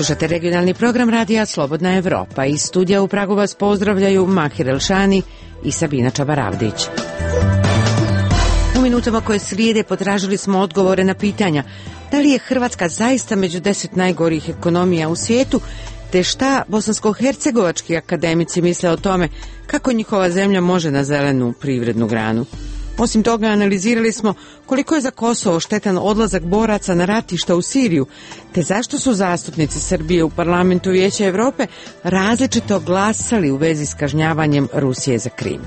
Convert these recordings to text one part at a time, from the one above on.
Slušate regionalni program radija Slobodna Evropa. Iz studija u Pragu vas pozdravljaju Mahir Elšani i Sabina Čabaravdić. U minutama koje slijede potražili smo odgovore na pitanja da li je Hrvatska zaista među 10 najgorih ekonomija u svijetu, te šta bosansko-hercegovački akademici misle o tome kako njihova zemlja može na zelenu privrednu granu. Osim toga, analizirali smo koliko je za Kosovo štetan odlazak boraca na ratišta u Siriju, te zašto su zastupnici Srbije u Parlamentu Vijeća Evrope različito glasali u vezi s kažnjavanjem Rusije za Krim.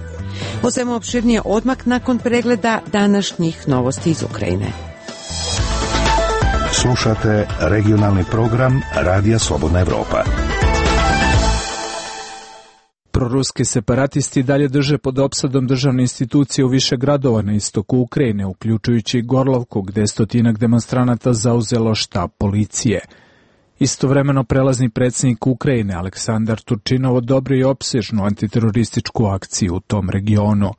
O svemu opširnije odmah nakon pregleda današnjih novosti iz Ukrajine. Slušate regionalni program Radija Slobodna Evropa. Proruski separatisti dalje drže pod opsadom državne institucije u više gradova na istoku Ukrajine, uključujući Gorlovku, gde je stotinak demonstranata zauzelo štab policije. Istovremeno prelazni predsjednik Ukrajine Aleksandar Turčinov odobrio je opsežnu antiterorističku akciju u tom regionu.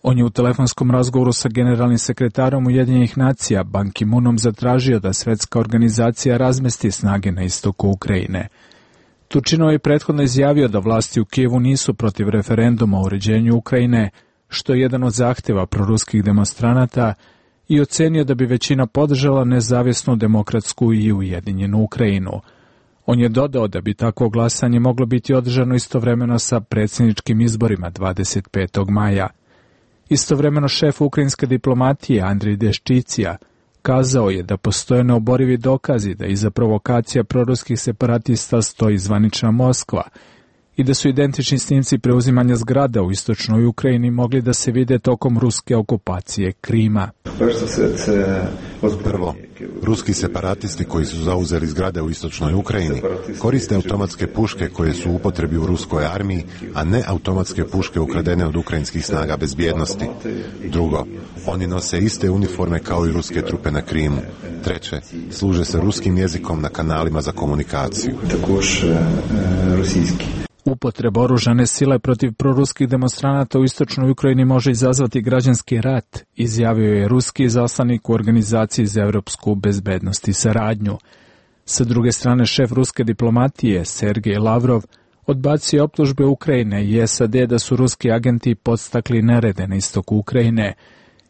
On je u telefonskom razgovoru sa generalnim sekretarom Ujedinjenih nacija Ban Ki-moonom zatražio da Svjetska organizacija razmesti snage na istoku Ukrajine. Turčinov je prethodno izjavio da vlasti u Kijevu nisu protiv referenduma o uređenju Ukrajine, što je jedan od zahtjeva proruskih demonstranata, i ocenio da bi većina podržala nezavisnu, demokratsku i ujedinjenu Ukrajinu. On je dodao da bi takvo glasanje moglo biti održano istovremeno sa predsjedničkim izborima 25. maja. Istovremeno šef ukrajinske diplomatije Andrij Deščicija kazao je da postoje neoborivi dokazi da iza provokacija proruskih separatista stoji zvanična Moskva i da su identični snimci preuzimanja zgrada u istočnoj Ukrajini mogli da se vide tokom ruske okupacije Krima. Prvo, ruski separatisti koji su zauzeli zgrade u istočnoj Ukrajini koriste automatske puške koje su u upotrebi u ruskoj armiji, a ne automatske puške ukradene od ukrajinskih snaga bezbjednosti. Drugo, oni nose iste uniforme kao i ruske trupe na Krimu. Treće, služe se ruskim jezikom na kanalima za komunikaciju. Upotreba oružane sile protiv proruskih demonstranata u istočnoj Ukrajini može izazvati građanski rat, izjavio je ruski izaslanik u Organizaciji za evropsku bezbednost i saradnju. Sa druge strane, šef ruske diplomatije Sergej Lavrov odbacio optužbe Ukrajine i SAD da su ruski agenti podstakli nerede na istoku Ukrajine,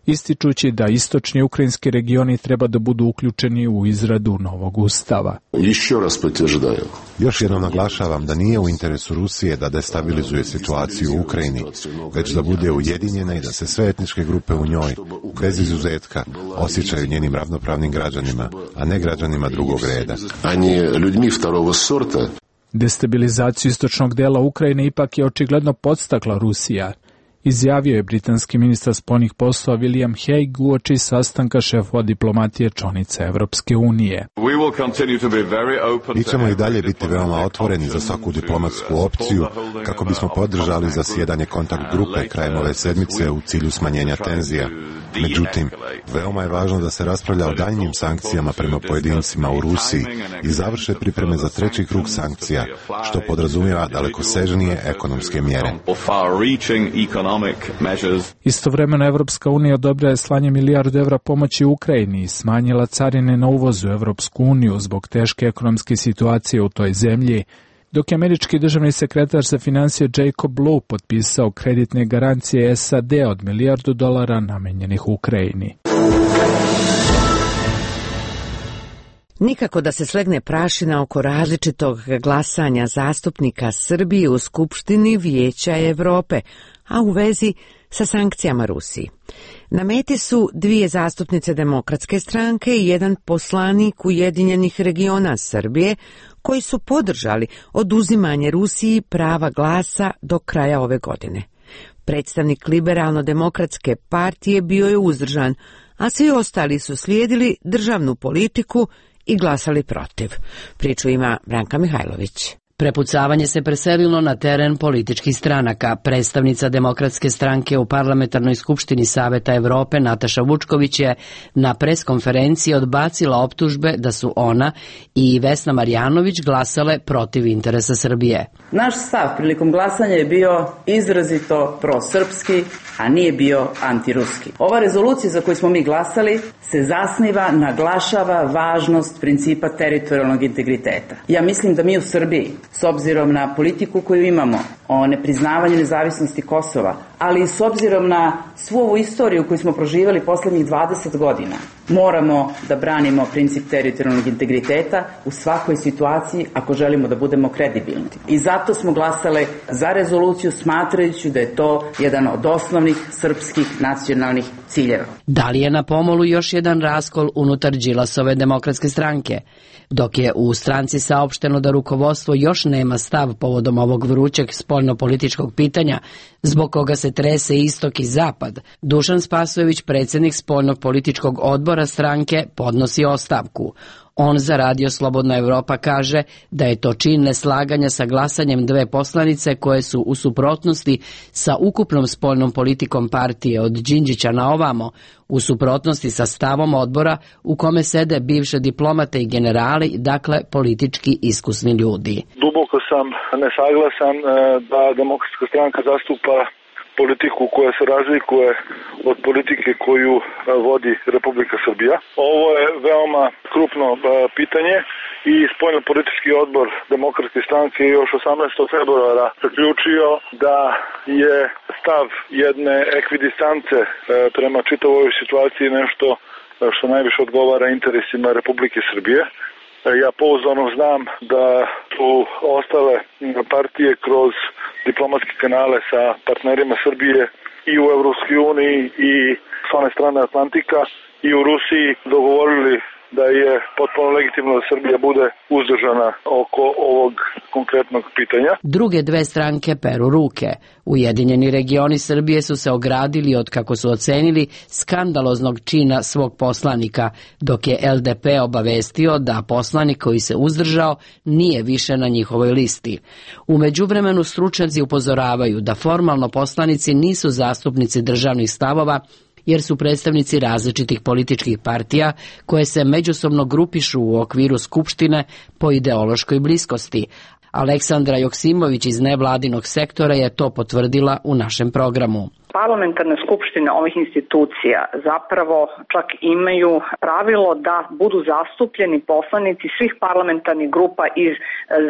ističući da istočni ukrajinski regioni treba da budu uključeni u izradu novog ustava. Još jednom naglašavam da nije u interesu Rusije da destabilizuje situaciju u Ukrajini, već da bude ujedinjena i da se sve etničke grupe u njoj, bez izuzetka, osjećaju njenim ravnopravnim građanima, a ne građanima drugog reda. Destabilizaciju istočnog dela Ukrajine ipak je očigledno podstakla Rusija, izjavio je britanski ministar spoljnih poslova William Hague uoči sastanka šefova diplomatije članica Evropske unije. Mi ćemo i dalje biti veoma otvoreni za svaku diplomatsku opciju kako bismo podržali zasjedanje kontakt grupe krajem ove sedmice u cilju smanjenja tenzija. Međutim, veoma je važno da se raspravlja o daljnjim sankcijama prema pojedincima u Rusiji i završe pripreme za treći krug sankcija, što podrazumijeva dalekosežnije ekonomske mjere. Istovremeno Evropska unija odobrila je slanje milijardu evra pomoći Ukrajini i smanjila carine na uvoz u Evropsku uniju zbog teške ekonomske situacije u toj zemlji, dok je američki državni sekretar za financije Jacob Lew potpisao kreditne garancije SAD od $1 milijardu namenjenih Ukrajini. Nikako da se slegne prašina oko različitog glasanja zastupnika Srbije u Skupštini Vijeća Evrope, a u vezi sa sankcijama Rusiji. Na meti su 2 zastupnice Demokratske stranke i 1 poslanik Ujedinjenih regiona Srbije, koji su podržali oduzimanje Rusiji prava glasa do kraja ove godine. Predstavnik Liberalno-demokratske partije bio je uzdržan, a svi ostali su slijedili državnu politiku i glasali protiv. Priču ima Branka Mihajlović. Prepucavanje se preselilo na teren političkih stranaka. Predstavnica Demokratske stranke u Parlamentarnoj skupštini Saveta Evrope Nataša Vučković je na preskonferenciji odbacila optužbe da su ona i Vesna Marjanović glasale protiv interesa Srbije. Naš stav prilikom glasanja je bio izrazito prosrpski, a nije bio antiruski. Ova rezolucija za koju smo mi glasali se zasniva, naglašava važnost principa teritorijalnog integriteta. Ja mislim da mi u Srbiji, s obzirom na politiku koju imamo o nepriznavanju nezavisnosti Kosova, ali i s obzirom na svu ovu istoriju koju smo proživali poslednjih 20 godina, moramo da branimo princip teritorijalnog integriteta u svakoj situaciji ako želimo da budemo kredibilni. I zato smo glasali za rezoluciju smatrajući da je to jedan od osnovnih srpskih nacionalnih ciljeva. Da li je na pomolu još jedan raskol unutar Đilasove Demokratske stranke? Dok je u stranci saopšteno da rukovodstvo još nema stav povodom ovog vrućeg spoljnopolitičkog pitanja, zbog koga se trese istok i zapad, Dušan Spasojević, predsjednik spoljnog političkog odbora stranke, podnosi ostavku. On za Radio Slobodna Evropa kaže da je to čin neslaganja sa glasanjem dve poslanice koje su u suprotnosti sa ukupnom spoljnom politikom partije od Đinđića na ovamo, u suprotnosti sa stavom odbora u kome sede bivše diplomate i generali, dakle politički iskusni ljudi. Duboko sam nesaglasan da Demokratska stranka zastupa politiku koja se razlikuje od politike koju vodi Republika Srbija. Ovo je veoma krupno pitanje i spoljnopolitički odbor Demokratske stranke još 18. februara zaključio da je stav jedne ekvidistance prema čitavoj situaciji nešto što najviše odgovara interesima Republike Srbije. Ja pouzdano znam da su ostale partije kroz diplomatske kanale sa partnerima Srbije i u Evropskoj uniji i s one strane Atlantika i u Rusiji dogovorili da je potpuno legitimno da Srbija bude uzdržana oko ovog konkretnog pitanja. Druge dve stranke peru ruke. Ujedinjeni regioni Srbije su se ogradili od, kako su ocenili, skandaloznog čina svog poslanika, dok je LDP obavestio da poslanik koji se uzdržao nije više na njihovoj listi. U međuvremenu stručnjaci upozoravaju da formalno poslanici nisu zastupnici državnih stavova, jer su predstavnici različitih političkih partija koje se međusobno grupišu u okviru Skupštine po ideološkoj bliskosti. Aleksandra Joksimović iz nevladinog sektora je to potvrdila u našem programu. Parlamentarne skupštine ovih institucija zapravo čak imaju pravilo da budu zastupljeni poslanici svih parlamentarnih grupa iz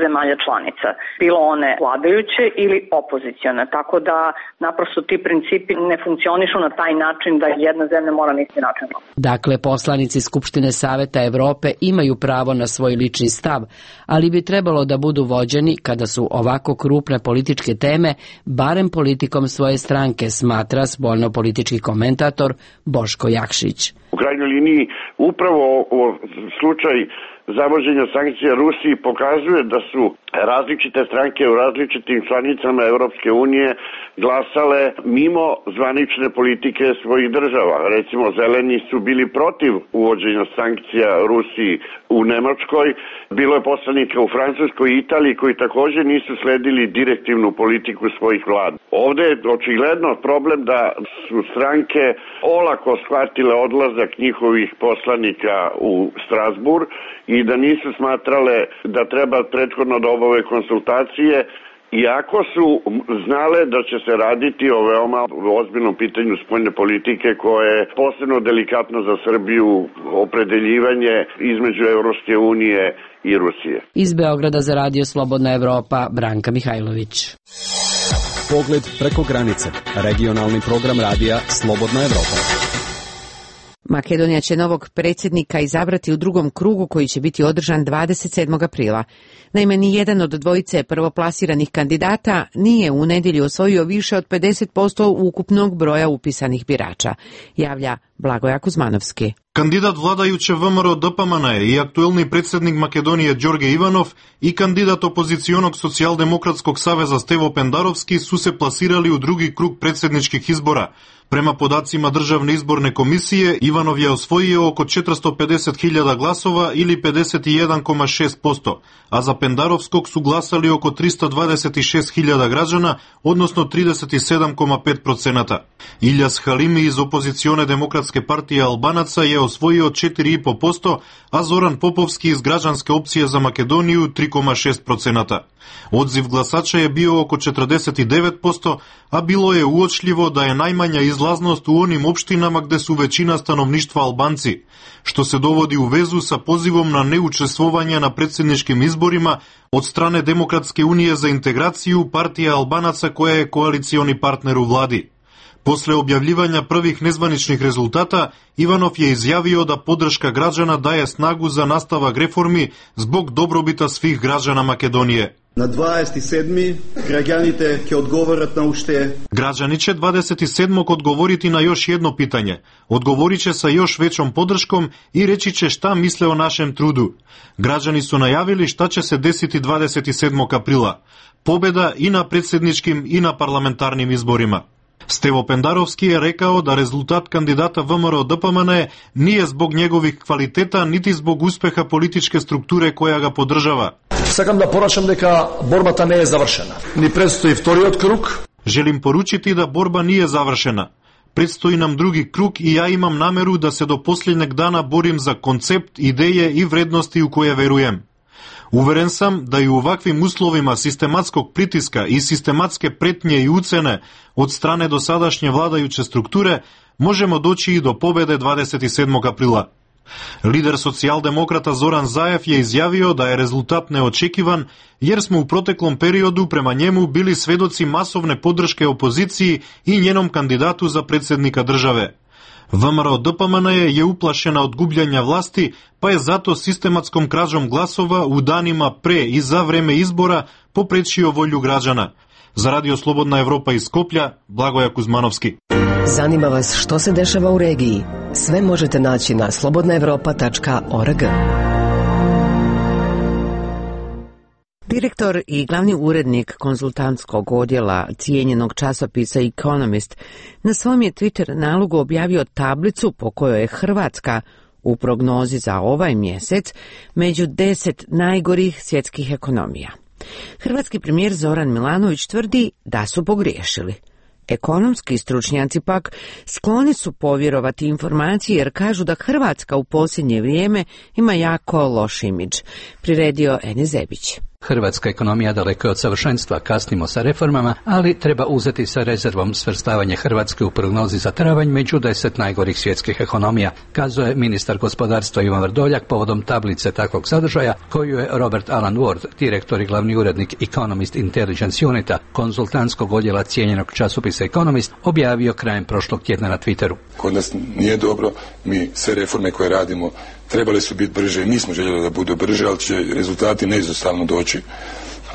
zemalja članica, bilo one vladajuće ili opozicione, tako da naprosto ti principi ne funkcionišu na taj način da jedna zemlja mora na isti način. Dakle, poslanici Skupštine Saveta Evrope imaju pravo na svoj lični stav, ali bi trebalo da budu vođeni kada su ovako krupne političke teme, barem politikom svoje stranke, smatra spoljnopolitički komentator Boško Jakšić. U krajnjoj liniji upravo slučaj zavođenja sankcija Rusiji pokazuje da su različite stranke u različitim članicama Evropske unije glasale mimo zvanične politike svojih država. Recimo, zeleni su bili protiv uvođenja sankcija Rusiji u Nemačkoj, bilo je poslanika u Francuskoj i Italiji koji također nisu sledili direktivnu politiku svojih vlada. Ovdje je očigledno problem da su stranke olako shvatile odlazak njihovih poslanika u Strasbourg i da nisu smatrale da treba prethodno da obave konsultacije, iako su znale da će se raditi o veoma ozbiljnom pitanju spoljne politike koje je posebno delikatno za Srbiju, opredeljivanje između Evropske unije i Rusije. Iz Beograda za Radio Slobodna Evropa, Branka Mihajlović. Pogled preko granice. Regionalni program radija Slobodna Evropa. Makedonija će novog predsjednika izabrati u drugom krugu koji će biti održan 27. aprila. Naime, ni jedan od dvojice prvoplasiranih kandidata nije u nedjelju osvojio više od 50% ukupnog broja upisanih birača, javlja Blagoja Kuzmanovski. Кандидат владајуче ВМРО ДПМН и актуелни председник Македонија Ѓорге Иванов и кандидат опозиционог Социјалдемократскog савеза Стево Пендаровски су се пласирали у други круг председничких избора. Према подацима Државне изборне комисија, Иванов ја освоио око 450.000 гласова или 51,6%, а за Пендаровскog су гласали око 326.000 граđana, односно 37,5%. Илјас Халими из опозиционе Демократске партија Албанаца ја освоио 4,5%, а Зоран Поповски из Граđanske опција за Македонију 3,6%. Одзив гласача е био око 49%, а било е уочливо да е најмања излазност у оним општинама где су веćина становништва албанци, што се доводи у везу са позивом на неучествување на председничким изборима од стране Демократске унија за интеграцију, партија Албанаца која е коалициони партнер у влади. После објавljivања првих незваничних резултата, Иванов ја изјавио да поддршка граđana даje снагу за наставак реформи због добробита свих граđana Македонije. На 27. граѓаните ќе одговорат на уште. Граđaniće 27. одговорити на још едно питање. Одговориче са још веќом поддршком и речиче шта мисле о нашем труду. Граđani су најавили шта ќе се десити 27. априла. Победа и на председничким и на парламентарним изборима. Стево Пендаровски е рекао да резултат кандидата ВМРО ДПМН не е због негових квалитета, нити због успеха политичке структуре која га поддржава. Сакам да порачам дека борбата не е завршена. Ни предстои вториот круг. Желим поручити да борба не е завршена. Предстои нам други круг и ја имам намеру да се до последнег дана борим за концепт, идеја и вредности у која веруjem. Уверен сам да и у ваквим условима систематскog притиска и систематске претње и уцене од стране досадашње владајуче структуре можемо доći и до победе 27. априла. Лидер социјалдемократа Зоран Заев ја изјавио да е резултат неочекиван, јер сме у протеклом периоду према njemu били сведоци масовне поддршке опозицији и njenom кандидату за председника државе. ВМРО ДПМН е уплашена од губљање власти, па е зато систематском кражом гласова у данима пре и за време избора попречио волју граđana. За Радио Слободна Европа из Скопља, Благоја Кузмановски. Занима вас што се дешава у регiji? Све можете наći на slobodnaevropa.org. Direktor i glavni urednik konzultantskog odjela cijenjenog časopisa Economist na svom je Twitter nalogu objavio tablicu po kojoj je Hrvatska u prognozi za ovaj mjesec među 10 najgorih svjetskih ekonomija. Hrvatski premijer Zoran Milanović tvrdi da su pogriješili. Ekonomski stručnjaci pak skloni su povjerovati informaciji jer kažu da Hrvatska u posljednje vrijeme ima jako loš imidž, priredio Enes Zebić. Hrvatska ekonomija daleko je od savršenstva, kasnimo sa reformama, ali treba uzeti sa rezervom svrstavanje Hrvatske u prognozi za travanj među 10 najgorih svjetskih ekonomija, kazuje ministar gospodarstva Ivan Vrdoljak povodom tablice takvog sadržaja koju je Robert Alan Ward, direktor i glavni urednik Economist Intelligence Unita, konzultantskog odjela cijenjenog časopisa Economist, objavio krajem prošlog tjedna na Twitteru. Kod nas nije dobro, mi sve reforme koje radimo trebale su biti brže i mi smo željeli da budu brže, ali će rezultati neizostavno doći.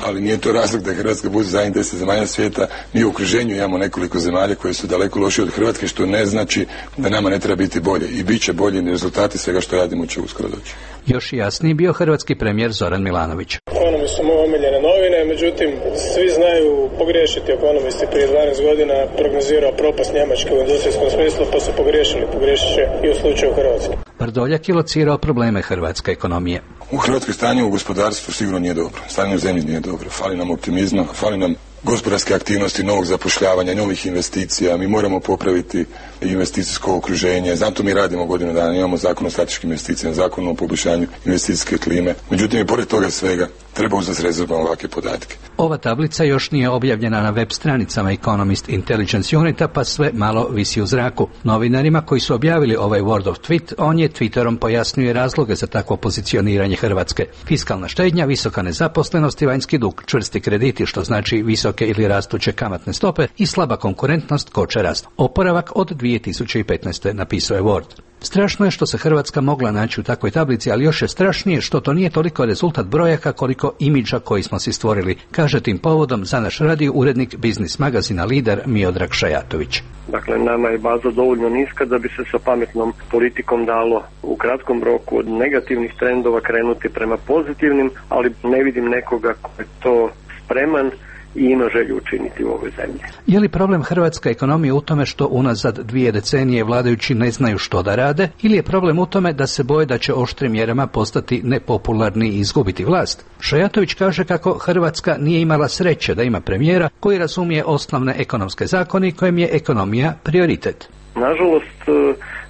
Ali nije to razlog da Hrvatska bude zadnjih 10 zemalja svijeta. Mi u okruženju imamo nekoliko zemalja koje su daleko lošije od Hrvatske, što ne znači da nama ne treba biti bolje. I bit će bolje, rezultati svega što radimo će uskoro doći. Još jasniji bio hrvatski premijer Zoran Milanović. Ekonomist su moje omiljene novine, međutim, svi znaju pogriješiti. Ekonomisti prije 12 godina prognozirao propast Njemačke u industrijskom smislu, pa su pogriješili. Pogriješit će i u slučaju Hrvatske. Vrdoljak je locirao probleme hrvatske ekonomije. U Hrvatskoj stanje u gospodarstvu sigurno nije dobro. Stanje u zemlji nije dobro. Fali nam optimizma, fali nam gospodarske aktivnosti, novog zapošljavanja, novih investicija. Mi moramo popraviti investicijsko okruženje. Zato mi radimo godinu dana. Imamo zakon o strateškim investicijama, zakon o poboljšanju investicijske klime. Međutim, i pored toga svega treba uzeti s rezervom ovakve podatke. Ova tablica još nije objavljena na web stranicama Economist Intelligence Unita, pa sve malo visi u zraku. Novinarima koji su objavili ovaj Word of Tweet, on je Twitterom pojasnio razloge za takvo pozicioniranje Hrvatske. Fiskalna štednja, visoka nezaposlenost i vanjski dug, čvrsti krediti, što znači visoke ili rastuće kamatne stope i slaba konkurentnost koče rast. Oporavak od 2015. napisao je Word. Strašno je što se Hrvatska mogla naći u takvoj tablici, ali još je strašnije što to nije toliko rezultat brojaka koliko imidža koji smo si stvorili, kaže tim povodom za naš radio urednik biznis magazina Lider Miodrag Šajatović. Dakle, nama je baza dovoljno niska da bi se sa pametnom politikom dalo u kratkom roku od negativnih trendova krenuti prema pozitivnim, ali ne vidim nekoga ko je to spreman i ima želju učiniti u ovoj zemlji. Je li problem hrvatske ekonomije u tome što unazad 2 decenije vladajući ne znaju što da rade, ili je problem u tome da se boje da će oštrim mjerama postati nepopularni i izgubiti vlast? Šajatović kaže kako Hrvatska nije imala sreće da ima premijera koji razumije osnovne ekonomske zakone i kojem je ekonomija prioritet. Nažalost,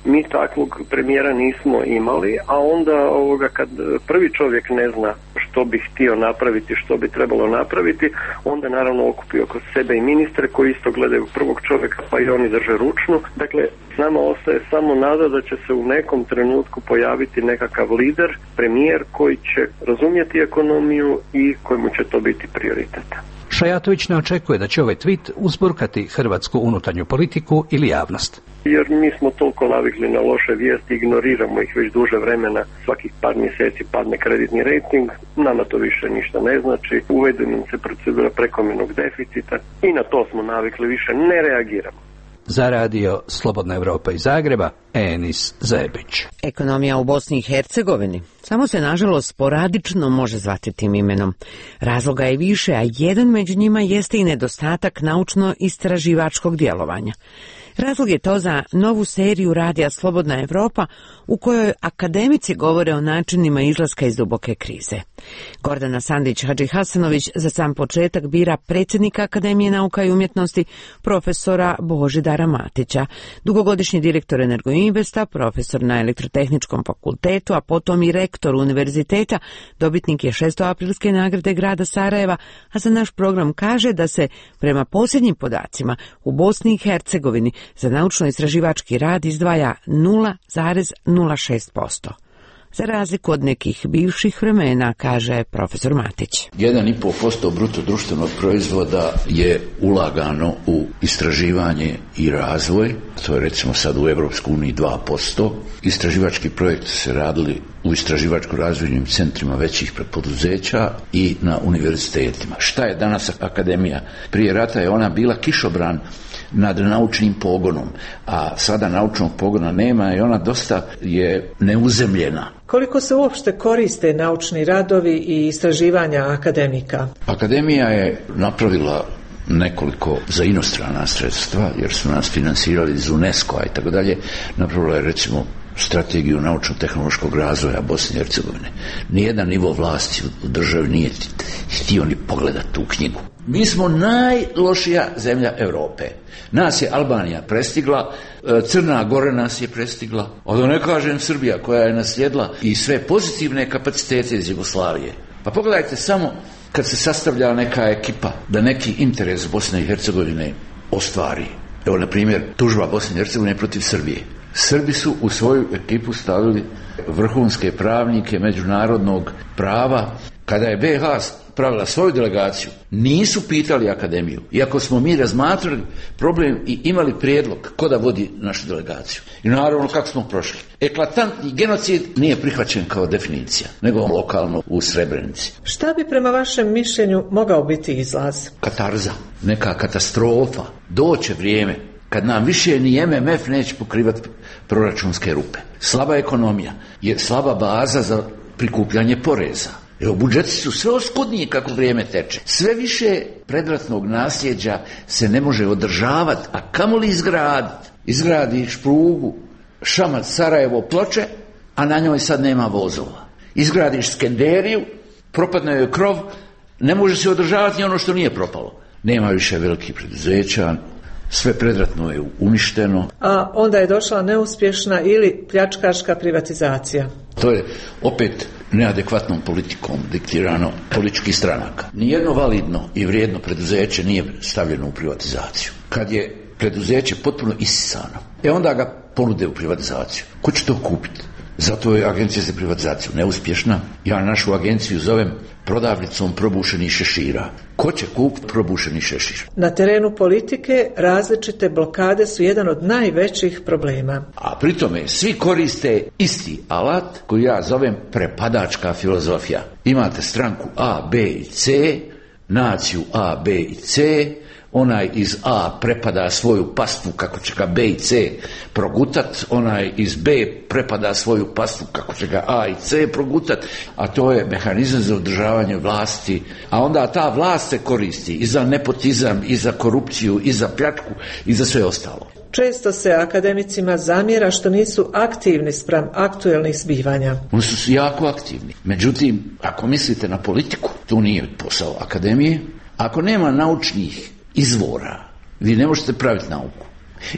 mi takvog premijera nismo imali, a onda kad prvi čovjek ne zna što bi htio napraviti, što bi trebalo napraviti, onda naravno okupi oko sebe i ministre koji isto gledaju prvog čovjeka, pa i oni drže ručnu. Dakle, nama ostaje samo nada da će se u nekom trenutku pojaviti nekakav lider, premijer koji će razumjeti ekonomiju i kojemu će to biti prioritet. Šajatović ne očekuje da će ovaj tweet uzburkati hrvatsku unutarnju politiku ili javnost. Jer mi smo toliko navikli na loše vijesti, ignoriramo ih već duže vremena, svakih par mjeseci padne kreditni rejting, nama to više ništa ne znači, uvede nam se procedura prekomjernog deficita i na to smo navikli, više ne reagiramo. Za radio Slobodna Evropa iz Zagreba, Enis Zebić. Ekonomija u Bosni i Hercegovini samo se nažalost sporadično može zvati tim imenom. Razloga je više, a jedan među njima jeste i nedostatak naučno-istraživačkog djelovanja. Razlog je to za novu seriju radija Slobodna Evropa u kojoj akademici govore o načinima izlaska iz duboke krize. Gordana Sandić-Hadžihasanović za sam početak bira predsjednika Akademije nauka i umjetnosti profesora Božidara Matića, dugogodišnji direktor Energoinvesta, profesor na Elektrotehničkom fakultetu, a potom i rektor univerziteta, dobitnik je 6. aprilske nagrade grada Sarajeva, a za naš program kaže da se prema posljednjim podacima u Bosni i Hercegovini za naučno-istraživački rad izdvaja 0,06%. Za razliku od nekih bivših vremena, kaže profesor Matić. 1,5% bruto društvenog proizvoda je ulagano u istraživanje i razvoj. To je recimo sad u Evropskoj uniji 2%. Istraživački projekti se radili u istraživačko-razvojnim centrima većih poduzeća i na univerzitetima. Šta je danas akademija? Prije rata je ona bila kišobran nad naučnim pogonom, a sada naučnog pogona nema i ona dosta je neuzemljena. Koliko se uopšte koriste naučni radovi i istraživanja akademika? Akademija je napravila nekoliko za inostrana sredstva, jer su nas finansirali iz UNESCO-a i tako dalje. Napravila je recimo strategiju naučno-tehnološkog razvoja Bosne i Hercegovine. Nijedan nivo vlasti u državi nije htio ni pogledati tu knjigu. Mi smo najlošija zemlja Europe. Nas je Albanija prestigla, Crna Gora nas je prestigla, a da ne kažem Srbija koja je naslijedila i sve pozitivne kapacitete iz Jugoslavije. Pa pogledajte samo kad se sastavlja neka ekipa da neki interes Bosne i Hercegovine ostvari. Evo, na primjer, tužba Bosne i Hercegovine protiv Srbije. Srbi su u svoju ekipu stavili vrhunske pravnike međunarodnog prava. Kada je BiH pravila svoju delegaciju, nisu pitali akademiju. Iako smo mi razmatrali problem i imali prijedlog ko da vodi našu delegaciju. I naravno kako smo prošli. Eklatantni genocid nije prihvaćen kao definicija, nego lokalno u Srebrenici. Šta bi prema vašem mišljenju mogao biti izlaz? Katarza, neka katastrofa. Doće vrijeme kad nam više ni MMF neće pokrivati proračunske rupe. Slaba ekonomija je slaba baza za prikupljanje poreza. Evo, budžeti su sve oskudniji kako vrijeme teče. Sve više predratnog nasljeđa se ne može održavati, a kamoli izgraditi. Izgradiš prugu Šamac, Sarajevo, Ploče, a na njoj sad nema vozova. Izgradiš Skenderiju, propadne joj krov, ne može se održavati ni ono što nije propalo. Nema više velikih preduzeća, sve predratno je uništeno. A onda je došla neuspješna ili pljačkaška privatizacija. To je opet neadekvatnom politikom diktirano političkih stranaka. Nijedno validno i vrijedno preduzeće nije stavljeno u privatizaciju. Kad je preduzeće potpuno isisano, onda ga ponude u privatizaciju. Ko će to kupiti? Zato je agencija za privatizaciju neuspješna. Ja našu agenciju zovem prodavnicom probušenih šešira. Ko će kupiti probušeni šešir? Na terenu politike različite blokade su jedan od najvećih problema. A pri tome svi koriste isti alat koji ja zovem prepadačka filozofija. Imate stranku A, B i C, naciju A, B i C, onaj iz A prepada svoju pastvu kako će ga B i C progutat, onaj iz B prepada svoju pastvu kako će ga A i C progutat, a to je mehanizam za održavanje vlasti, a onda ta vlast se koristi i za nepotizam, i za korupciju, i za pljačku, i za sve ostalo. Često se akademicima zamjera što nisu aktivni spram aktuelnih zbivanja. Oni su jako aktivni. Međutim, ako mislite na politiku, to nije posao akademije. Ako nema naučnih izvora, vi ne možete praviti nauku.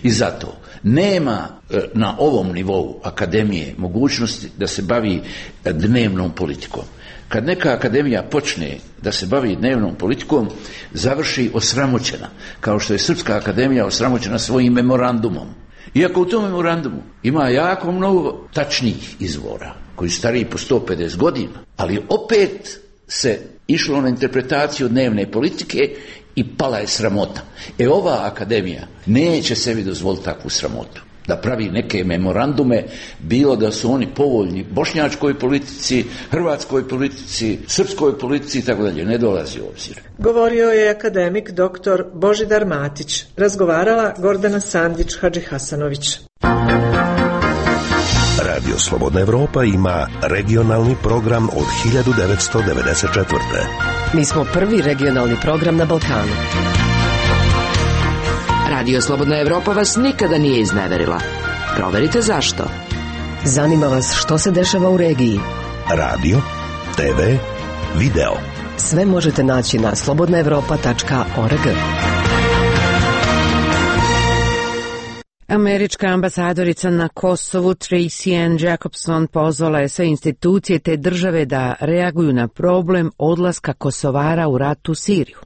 I zato nema na ovom nivou akademije mogućnosti da se bavi dnevnom politikom. Kad neka akademija počne da se bavi dnevnom politikom, završi osramoćena, kao što je Srpska akademija osramoćena svojim memorandumom. Iako u tom memorandumu ima jako mnogo tačnih izvora, koji su stariji po 150 godina, ali opet se išlo na interpretaciju dnevne politike i pala je sramota. Ova akademija neće sebi dozvoliti takvu sramotu. Da pravi neke memorandume, bilo da su oni povoljni bošnjačkoj politici, hrvatskoj politici, srpskoj politici i tako dalje, ne dolazi u obzir. Govorio je akademik dr. Božidar Matić. Razgovarala Gordana Sandić-Hadžihasanović. Radio Slobodna Evropa ima regionalni program od 1994. Mi smo prvi regionalni program na Balkanu. Radio Slobodna Evropa vas nikada nije izneverila. Proverite zašto. Zanima vas što se dešava u regiji. Radio, TV, video. Sve možete naći na slobodnaevropa.org. Američka ambasadorica na Kosovu Tracy Ann Jacobson pozvala je sve institucije te države da reaguju na problem odlaska Kosovara u rat u Siriju.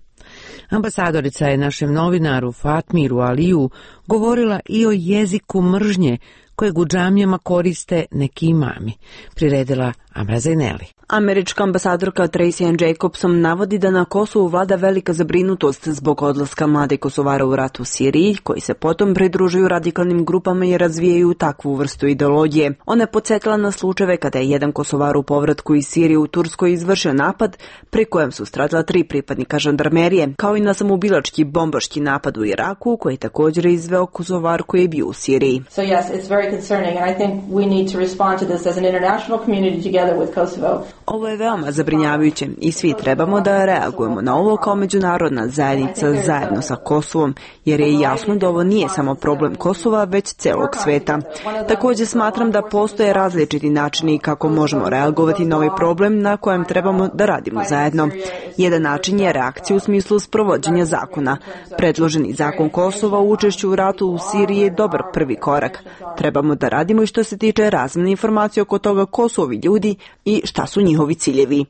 Ambasadorica je našem novinaru Fatmiru Aliju govorila i o jeziku mržnje kojeg u džamijama koriste neki imami, priredila Amra Zaineli. Američka ambasadorka Tracy Ann Jacobson navodi da na Kosovu vlada velika zabrinutost zbog odlaska mlade Kosovara u rat u Siriji, koji se potom pridružuju radikalnim grupama i razvijaju takvu vrstu ideologije. Ona je podsjetila na slučajeve kada je jedan Kosovar u povratku iz Sirije u Turskoj izvršio napad, pri kojem su stradala 3 pripadnika žandarmerije, kao i na samoubilački bombaški napad u Iraku, koji je također izveo Kosovar koji je bio u Siriji. So yes, it's very concerning and I think we need to respond to this as an international community together with Kosovo. Ovo je veoma zabrinjavajuće i svi trebamo da reagujemo na ovo kao međunarodna zajednica zajedno sa Kosovom, jer je jasno da ovo nije samo problem Kosova, već celog sveta. Također smatram da postoje različiti načini kako možemo reagovati na ovaj problem na kojem trebamo da radimo zajedno. Jedan način je reakcija u smislu sprovođenja zakona. Predloženi zakon Kosova u učešću u ratu u Siriji je dobar prvi korak. Trebamo da radimo i što se tiče razmjene informacije oko toga ko su ovi ljudi i šta su njihovi ciljevi.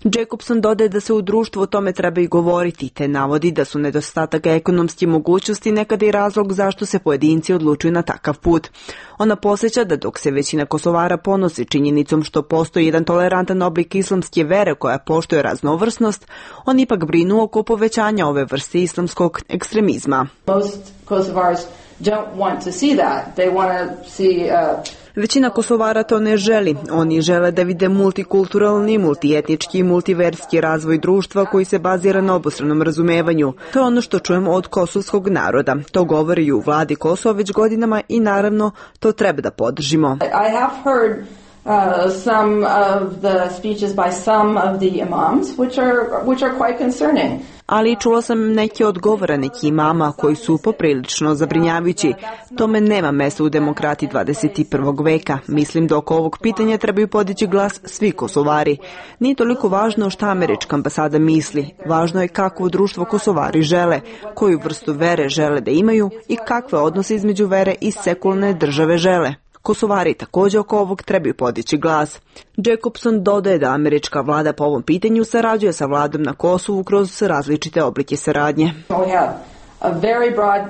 Jacobson dodaje da se u društvu o tome treba i govoriti, te navodi da su nedostatak ekonomske mogućnosti nekada i razlog zašto se pojedinci odlučuju na takav put. Ona podsjeća da dok se većina Kosovara ponosi činjenicom što postoji jedan tolerantan oblik islamske vere koja poštuje raznovrsnost, oni ipak brinu oko povećanja ove vrste islamskog ekstremizma. Većina Kosovara to ne želi. Oni žele da vide multikulturalni, multietnički i multiverski razvoj društva koji se bazira na obostranom razumevanju. To je ono što čujemo od kosovskog naroda. To govori i u vladi Kosova već godinama i naravno to treba da podržimo. I have heard some of the speeches by some of the imams which are quite concerning. Ali čula sam neke odgovore neki imama koji su poprilično zabrinjavajući. Tome nema mesta u demokratiji 21. veka. Mislim da oko ovog pitanja trebaju podići glas svi Kosovari. Nije toliko važno šta američka ambasada misli. Važno je kakvo društvo Kosovari žele, koju vrstu vere žele da imaju i kakve odnose između vere i sekularne države žele. Kosovari također oko ovog trebaju podići glas. Jacobson dodaje da američka vlada po ovom pitanju sarađuje sa vladom na Kosovu kroz različite oblike saradnje. We have a very broad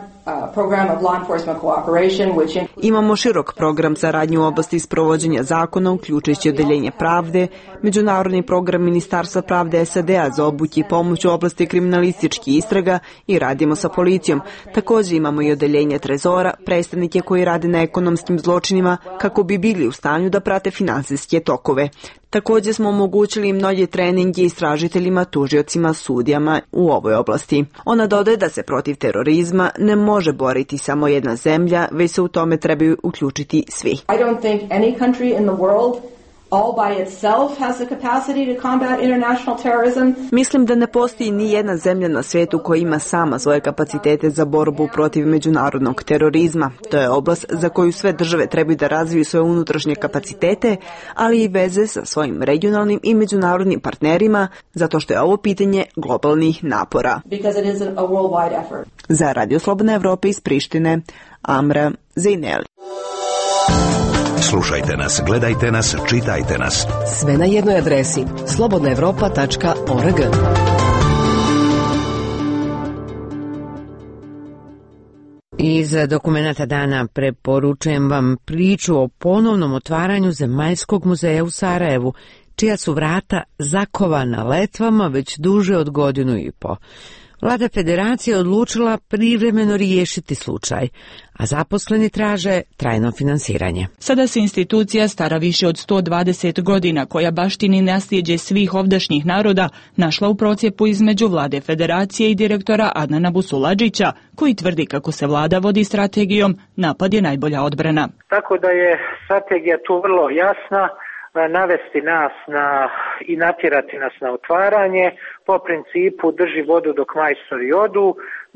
Imamo širok program saradnje u oblasti sprovođenja zakona, uključujući odeljenje pravde, međunarodni program Ministarstva pravde SAD-a za obuke i pomoć u oblasti kriminalističkih istraga i radimo sa policijom. Također imamo i odeljenje trezora, predstavnike koji rade na ekonomskim zločinima kako bi bili u stanju da prate finansijske tokove. Također smo omogućili mnoge treninge istražiteljima, tužiocima, sudijama u ovoj oblasti. Ona dodaje da se protiv terorizma ne može boriti samo jedna zemlja, već se u tome trebaju uključiti svi. I don't think any country in the world all by itself has the capacity to combat international terrorism. Mislim da ne postoji ni jedna zemlja na svijetu koja ima sama svoje kapacitete za borbu protiv međunarodnog terorizma. To je oblast za koju sve države trebaju da razviju svoje unutrašnje kapacitete, ali i veze sa svojim regionalnim i međunarodnim partnerima, zato što je ovo pitanje globalnih napora. Because it is a worldwide effort. Za Radio Slobodna Evropa iz Prištine, Amra Zejneli. Slušajte nas, gledajte nas, čitajte nas. Sve na jednoj adresi slobodnaevropa.org. Iz dokumenata dana preporučujem vam priču o ponovnom otvaranju Zemaljskog muzeja u Sarajevu, čija su vrata zakovana letvama već duže od 1.5 godina. Vlada federacije odlučila privremeno riješiti slučaj, a zaposleni traže trajno finansiranje. Sada se institucija stara više od 120 godina, koja baštini nasljeđe svih ovdašnjih naroda, našla u procijepu između Vlade federacije i direktora Adnana Busuladžića, koji tvrdi kako se vlada vodi strategijom napad je najbolja odbrana. Tako da je strategija tu vrlo jasna, navesti nas i natjerati nas na otvaranje, po principu drži vodu dok majstori odu,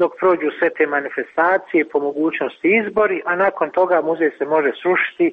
dok prođu sve te manifestacije, po mogućnosti izbori, a nakon toga muzej se može srušiti.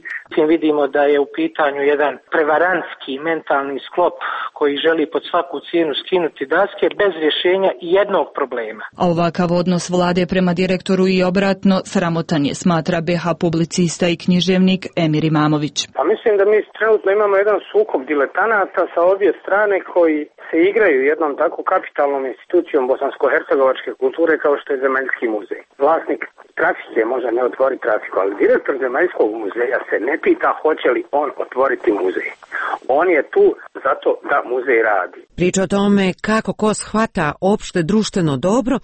Vidimo da je u pitanju jedan prevarantski mentalni sklop koji želi pod svaku cijenu skinuti daske bez rješenja jednog problema. A ovakav odnos vlade prema direktoru i obratno sramotan je, smatra BH publicista i književnik Emir Imamović. Pa mislim da mi trenutno imamo jedan sukob diletanata sa obje strane koji se igraju jednom tako kapitalnom institucijom bosansko-hercegovačke kulture kao što je Zemaljski muzej. Vlasnik trafike može ne otvoriti trafiku, ali direktor Zemaljskog muzeja se ne pita hoće li on otvoriti muzej. On je tu zato da muzej radi. Priča o tome kako ko shvata opšte društveno dobro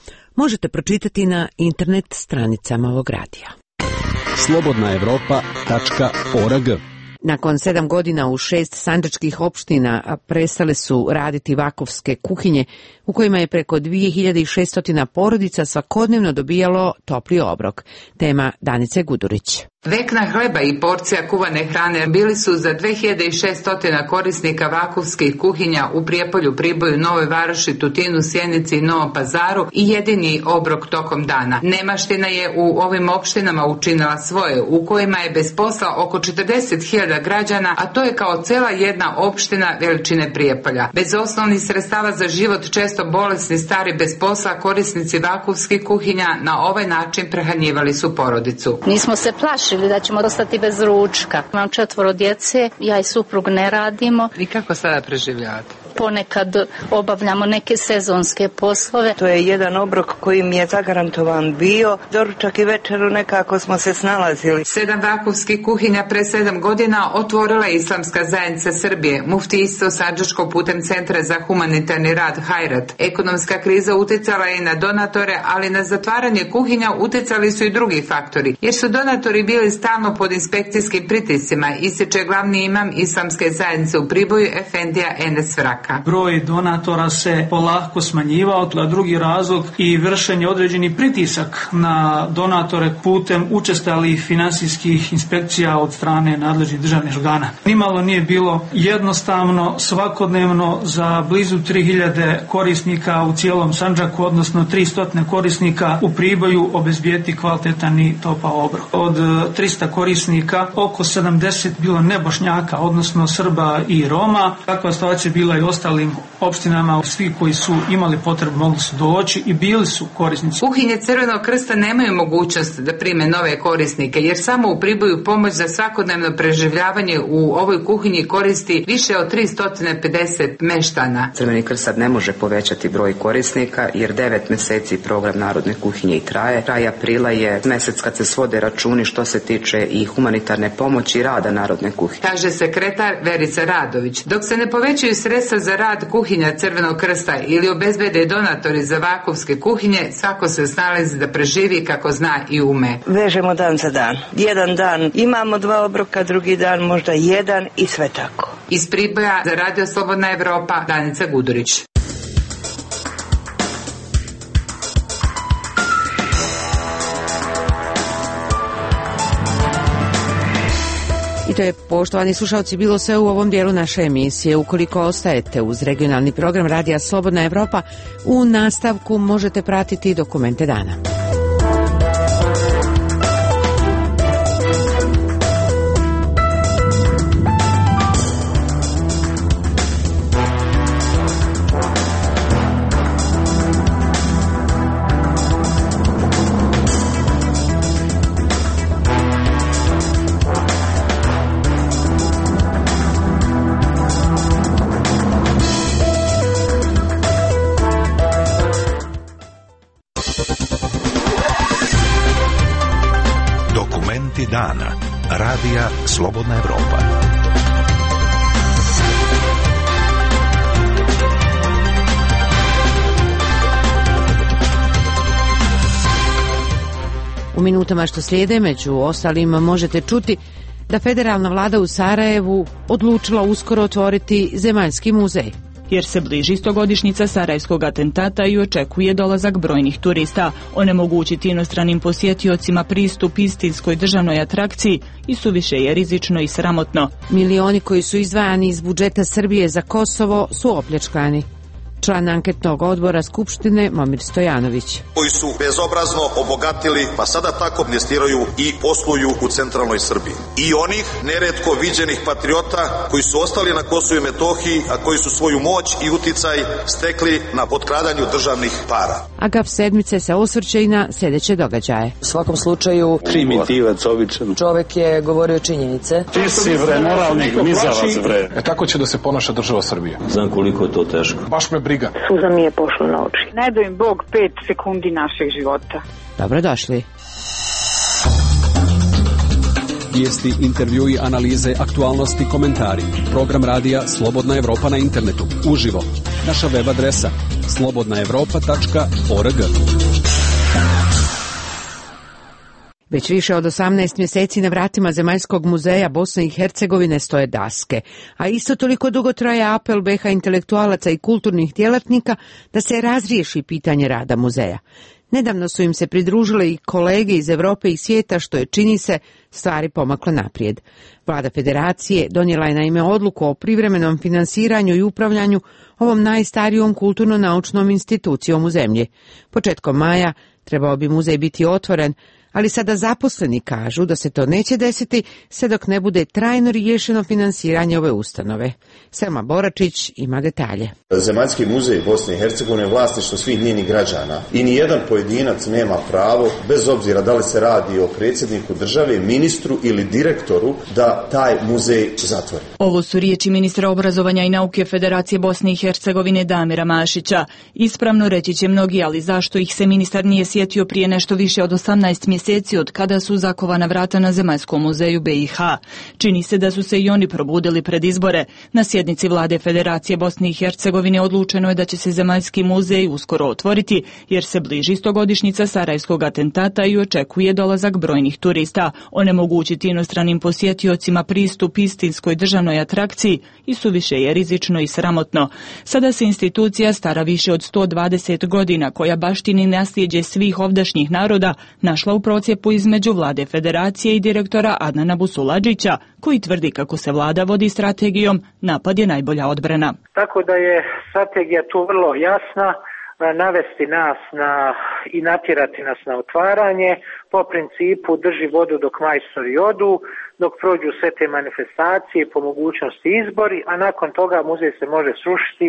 možete pročitati na internet stranicama ovog radija. slobodnaevropa.org. Nakon 7 godina u 6 sandžačkih opština prestale su raditi vakovske kuhinje u kojima je preko 2600 porodica svakodnevno dobijalo topli obrok. Tema Danice Gudurić. Vekna hleba i porcija kuvane hrane bili su za 2600 korisnika vakovskih kuhinja u Prijepolju, Priboju, Novoj Varoši, Tutinu, Sjenici i Novom Pazaru i jedini obrok tokom dana. Nemaština je u ovim opštinama učinila svoje, u kojima je bez posla oko 40.000 građana, a to je kao cela jedna opština veličine Prijepolja. Bez osnovnih sredstava za život, često bolesni, stari, bez posla, korisnici vakovskih kuhinja na ovaj način prehranjivali su porodicu. Nismo se plašili da ćemo ostati bez ručka. Imam 4 djece, ja i suprug ne radimo. I kako sada preživljavate? Ponekad obavljamo neke sezonske poslove. To je jedan obrok koji mi je zagarantovan bio. Doručak i večeru nekako smo se snalazili. 7 vakovskih kuhinja pre 7 godina otvorila je Islamska zajednica Srbije, muftijstvo sandžačko putem Centra za humanitarni rad Hajrat. Ekonomska kriza uticala je i na donatore, ali na zatvaranje kuhinja uticali su i drugi faktori, jer su donatori bili stalno pod inspekcijskim pritiscima, ističe glavni imam Islamske zajednice u Priboju, Efendija Enes Vrak. Broj donatora se polako smanjivao, a drugi razlog i vršenje određeni pritisak na donatore putem učestalih finansijskih inspekcija od strane nadležnih državnih organa. Nimalo nije bilo jednostavno svakodnevno za blizu 3000 korisnika u cijelom Sandžaku, odnosno 300 korisnika u Priboju obezbijeti kvalitetan i topao obrok. Od 300 korisnika oko 70 bilo nebošnjaka, odnosno Srba i Roma. Takva situacija bila i ostalim opštinama. Svi koji su imali potrebu mogli su doći i bili su korisnici. Kuhinje Crvenog krsta nemaju mogućnost da prime nove korisnike, jer samo u Priboju pomoć za svakodnevno preživljavanje u ovoj kuhinji koristi više od 350 meštana. Crveni krst sad ne može povećati broj korisnika, jer 9 meseci program Narodne kuhinje i traje. Kraj aprila je mesec kad se svode računi što se tiče i humanitarne pomoći i rada Narodne kuhinje. Kaže sekretar Verica Radović. Dok se ne povećaju sredstva za rad kuhinja Crvenog krsta ili obezbede donatori za vakovske kuhinje, svako se snalazi da preživi kako zna i ume. Vežemo dan za dan. Jedan dan imamo 2 obroka, drugi dan možda 1 i sve tako. Iz Priboja za Radio Slobodna Evropa, Danica Gudurić. I to je, poštovani slušalci, bilo sve u ovom dijelu naše emisije. Ukoliko ostajete uz regionalni program Radija Slobodna Evropa, u nastavku možete pratiti dokumente dana. Dana. Radija Slobodna Evropa. U minutama što slijede, među ostalim, možete čuti da federalna vlada u Sarajevu odlučila uskoro otvoriti Zemaljski muzej. Jer se bliži 100-godišnjica sarajevskog atentata i očekuje dolazak brojnih turista. Onemogućiti inostranim posjetiocima pristup istinskoj državnoj atrakciji i suviše je rizično i sramotno. Milioni koji su izdvajani iz budžeta Srbije za Kosovo su opljačkani. Član anketnog odbora Skupštine Momir Stojanović. Koji su bezobrazno obogatili, pa sada tako investiraju i posluju u centralnoj Srbiji. I onih neretko viđenih patriota koji su ostali na Kosovu i Metohiji, a koji su svoju moć i uticaj stekli na potkradanju državnih para. Agap sedmice se osvrće i na sljedeće događaje. U svakom slučaju primitivac običan. Čovek je govorio činjenice. Ti si moralnik, nizavac bre. Tako će da se ponaša država Srbije. Znam koliko je to teško. Baš me briga. Suza mi je pošla na oči. Ne daj im Bog 5 sekundi našeg života. Dobrodošli. Vijesti, intervjui, analize, aktualnosti, komentari. Program radija Slobodna Evropa na internetu. Uživo. Naša web adresa slobodnaevropa.org. Već više od 18 mjeseci na vratima Zemaljskog muzeja Bosne i Hercegovine stoje daske, a isto toliko dugo traje apel BiH intelektualaca i kulturnih djelatnika da se razriješi pitanje rada muzeja. Nedavno su im se pridružile i kolege iz Europe i svijeta, što je, čini se, stvari pomaklo naprijed. Vlada Federacije donijela je naime odluku o privremenom finansiranju i upravljanju ovom najstarijom kulturno-naučnom institucijom u zemlji. Početkom maja trebao bi muzej biti otvoren, ali sada zaposleni kažu da se to neće desiti sve dok ne bude trajno riješeno finansiranje ove ustanove. Selma Boračić ima detalje. Zemaljski muzej Bosne i Hercegovine je vlasništvo svih njenih građana i nijedan pojedinac nema pravo, bez obzira da li se radi o predsjedniku države, ministru ili direktoru, da taj muzej zatvori. Ovo su riječi ministra obrazovanja i nauke Federacije Bosne i Hercegovine Damira Mašića. Ispravno reći će mnogi, ali zašto ih se ministar nije sjetio prije nešto više od 18 mjeseci od kada su zakovana vrata na Zemaljskom muzeju BiH. Čini se da su se i oni probudili pred izbore. Na sjednici vlade Federacije Bosne i Hercegovine odlučeno je da će se Zemaljski muzej uskoro otvoriti, jer se bliži 100-godišnjica sarajevskog atentata i očekuje dolazak brojnih turista. Onemogućiti inostranim posjetiocima pristup istinskoj državnoj atrakciji i suviše je rizično i sramotno. Sada se institucija stara više od 120 godina, koja baštini nasljeđe svih ovdašnjih naroda, našla u procjepu između vlade Federacije i direktora Adnana Busuladžića, koji tvrdi kako se vlada vodi strategijom napad je najbolja odbrana. Tako da je strategija tu vrlo jasna. navesti nas i natjerati nas na otvaranje po principu drži vodu dok majstori odu, dok prođu sve te manifestacije, po mogućnosti izbori, a nakon toga muzej se može srušiti.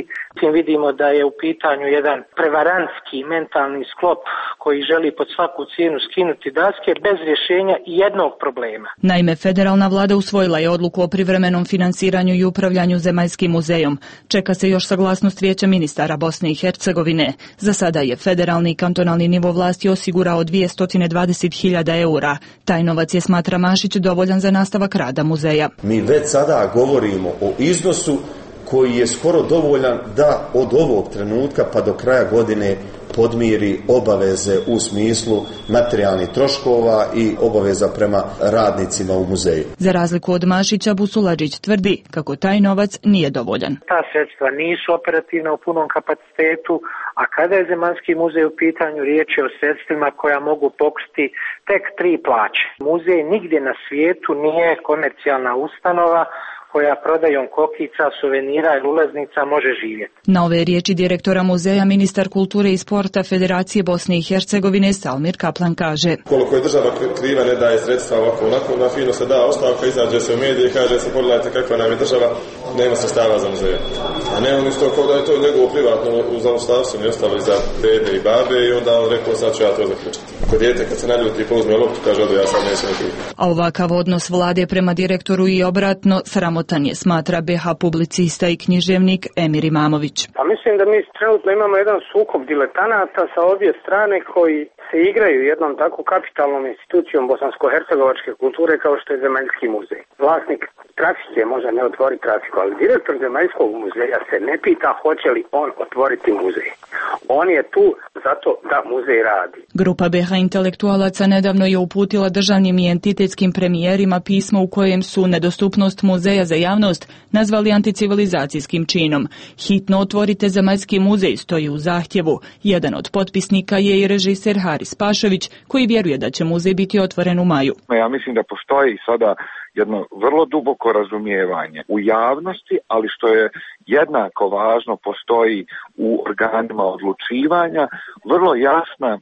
Vidimo da je u pitanju jedan prevarantski mentalni sklop koji želi pod svaku cijenu skinuti daske bez rješenja jednog problema. Naime, federalna vlada usvojila je odluku o privremenom finansiranju i upravljanju Zemaljskim muzejom. Čeka se još saglasnost Vijeća ministara Bosne i Hercegovine. Za sada je federalni i kantonalni nivo vlasti osigurao 220.000 eura. Taj novac je, smatra Mašić, dovoljan za nastavak rada muzeja. Mi već sada govorimo o iznosu koji je skoro dovoljan da od ovog trenutka pa do kraja godine podmiri obaveze u smislu materijalnih troškova i obaveza prema radnicima u muzeju. Za razliku od Mašića, Busuladžić tvrdi kako taj novac nije dovoljan. Ta sredstva nisu operativna u punom kapacitetu, a kada je Zemaljski muzej u pitanju, riječ je o sredstvima koja mogu pokriti tek 3 plaće. Muzej nigdje na svijetu nije komercijalna ustanova koja prodajom kokica, suvenira ili ulaznica može živjeti. Na ove riječi direktora muzeja ministar kulture i sporta Federacije Bosne i Hercegovine Salmir Kaplan kaže: koliko je država kriva, ne daje sredstva ovako onako, na fino se da ostavka, izađe se u medije i kaže se pogledajte kakva nam je država, nema sredstava za muzeje. A ne on isto kao da je to njegovo privatno u zaustavstvu mi ostalo za dede i babe i onda on rekao sad ću ja to zaključiti. Kod dijete kad se naljuti i pouzme loptu kaže da ja sad neću nekih. A ovakav odnos vlade prema direktoru i obratno sramotan je, smatra BH publicista i književnik Emir Imamović. Pa mislim da mi trenutno imamo jedan sukob diletanata sa obje strane koji se igraju jednom tako kapitalnom institucijom bosansko-hercegovačke kulture kao što je Zemaljski muzej. Vlasnik trafike može ne otvori trafiku, ali direktor Zemaljskog muzeja se ne pita hoće li on otvoriti muzej. On je tu zato da muzej radi. Grupa BH intelektualaca nedavno je uputila državnim i entitetskim premijerima pismo u kojem su nedostupnost muzeja za javnost nazvali anticivilizacijskim činom. Hitno otvorite Zemaljski muzej stoji u zahtjevu. Jedan od potpisnika je i režiser Haris Pašović, koji vjeruje da će muzej biti otvoren u maju. Ja mislim da postoji sada jedno vrlo duboko razumijevanje u javnosti, ali što je jednako važno, postoji u organima odlučivanja vrlo jasna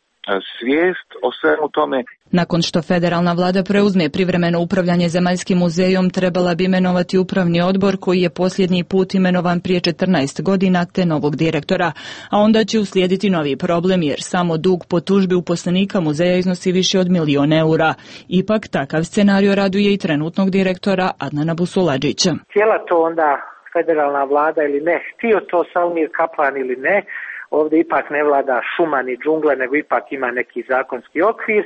svijest o svemu tome. Nakon što federalna vlada preuzme privremeno upravljanje Zemaljskim muzejom, trebala bi imenovati upravni odbor koji je posljednji put imenovan prije 14 godina te novog direktora, a onda će uslijediti novi problem jer samo dug po tužbi uposlenika muzeja iznosi više od 1.000.000 eura. Ipak takav scenario raduje i trenutnog direktora Adnana Busuladžića. Htjela to onda federalna vlada ili ne, htio to Salmir Kaplan ili ne, ovdje ipak ne vlada šuma ni džungla, nego ipak ima neki zakonski okvir.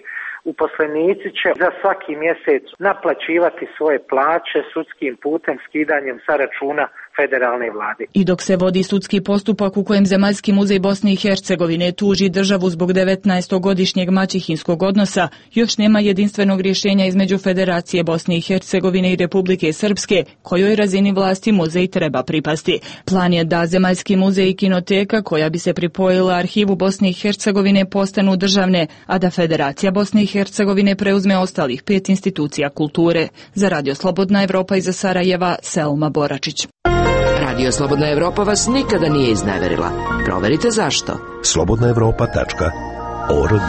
Uposlenici će za svaki mjesec naplaćivati svoje plaće sudskim putem, skidanjem sa računa federalne vlade. I dok se vodi sudski postupak u kojem Zemaljski muzej Bosne i Hercegovine tuži državu zbog 19-godišnjeg maćehinskog odnosa, još nema jedinstvenog rješenja između Federacije Bosne i Hercegovine i Republike Srpske, kojoj razini vlasti muzej treba pripasti. Plan je da Zemaljski muzej i kinoteka, koja bi se pripojila arhivu Bosne i Hercegovine, postanu državne, a da Federacija Bosne i Hercegovine preuzme ostalih 5 institucija kulture. Za Radio Slobodna Evropa iz Sarajeva, Selma Boračić. Radio Slobodna Evropa vas nikada nije izneverila. Proverite zašto. slobodnaevropa.org.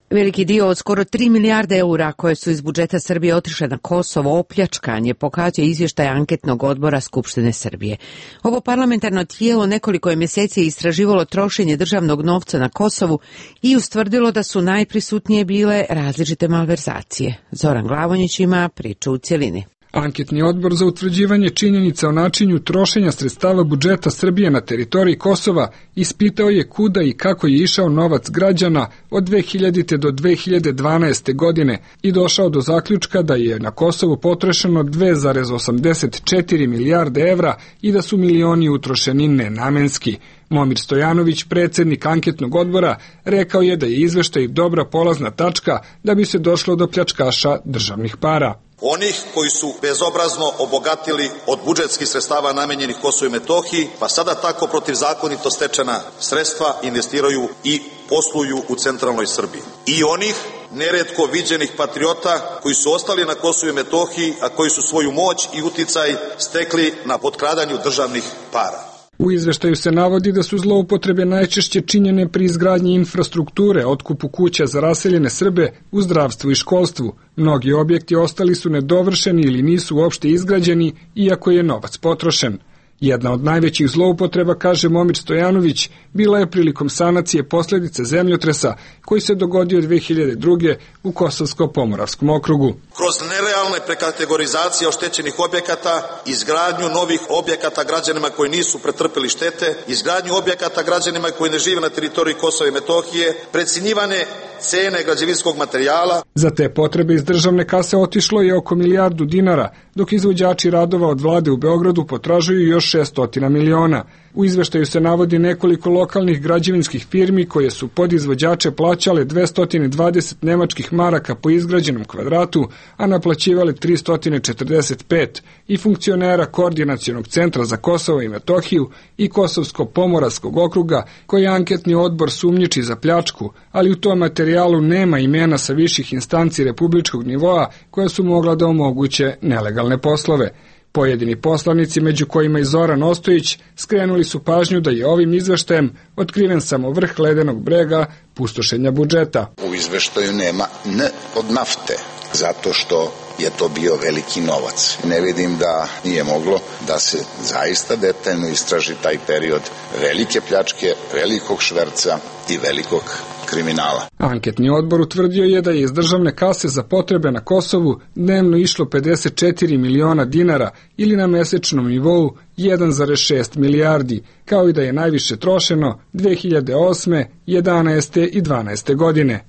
Veliki dio od skoro 3 milijarde eura koje su iz budžeta Srbije otišle na Kosovo opljačkan je, pokazuje izvještaj anketnog odbora Skupštine Srbije. Ovo parlamentarno tijelo nekoliko je mjeseci istraživalo trošenje državnog novca na Kosovu i ustvrdilo da su najprisutnije bile različite malverzacije. Zoran Glavonjić ima priču u cjelini. Anketni odbor za utvrđivanje činjenica o načinu trošenja sredstava budžeta Srbije na teritoriji Kosova ispitao je kuda i kako je išao novac građana od 2000. do 2012. godine i došao do zaključka da je na Kosovu potrošeno 2,84 milijarde evra i da su milioni utrošeni nenamenski. Momir Stojanović, predsjednik anketnog odbora, rekao je da je izveštaj dobra polazna tačka da bi se došlo do pljačkaša državnih para. Onih koji su bezobrazno obogatili od budžetskih sredstava namenjenih Kosovu i Metohiji, pa sada tako protivzakonito stečena sredstva investiraju i posluju u centralnoj Srbiji. I onih neretko viđenih patriota koji su ostali na Kosovu i Metohiji, a koji su svoju moć i uticaj stekli na potkradanju državnih para. U izveštaju se navodi da su zloupotrebe najčešće činjene pri izgradnji infrastrukture, otkupu kuća za raseljene Srbe, u zdravstvu i školstvu. Mnogi objekti ostali su nedovršeni ili nisu uopšte izgrađeni, iako je novac potrošen. Jedna od najvećih zloupotreba, kaže Momir Stojanović, bila je prilikom sanacije posljedice zemljotresa koji se dogodio 2002. u Kosovsko-Pomoravskom okrugu. Kroz nerealne prekategorizacije oštećenih objekata, izgradnju novih objekata građanima koji nisu pretrpeli štete, izgradnju objekata građanima koji ne žive na teritoriji Kosova i Metohije, precenjivane cene građevinskog materijala. Za te potrebe iz državne kase otišlo je oko milijardu dinara, dok izvođači radova od vlade u Beogradu potražuju još 600 miliona. U izveštaju se navodi nekoliko lokalnih građevinskih firmi koje su pod izvođače plaćale 220 nemačkih maraka po izgrađenom kvadratu, a naplaćivale 345, i funkcionera Koordinacionog centra za Kosovo i Metohiju i Kosovsko-Pomoravskog okruga, koji anketni odbor sumnjiči za pljačku, ali u tom materijalu nema imena sa viših instanci republičkog nivoa koja su mogla da omoguće nelegalne poslove. Pojedini poslanici, među kojima i Zoran Ostojić, skrenuli su pažnju da je ovim izveštajem otkriven samo vrh ledenog brega pustošenja budžeta. U izveštaju nema N od nafte, zato što je to bio veliki novac. Ne vidim da nije moglo da se zaista detaljno istraži taj period velike pljačke, velikog šverca i velikog kriminala. Anketni odbor utvrdio je da je iz državne kase za potrebe na Kosovu dnevno išlo 54 miliona dinara ili na mesečnom nivou 1,6 milijardi, kao i da je najviše trošeno 2008., 11. i 12. godine.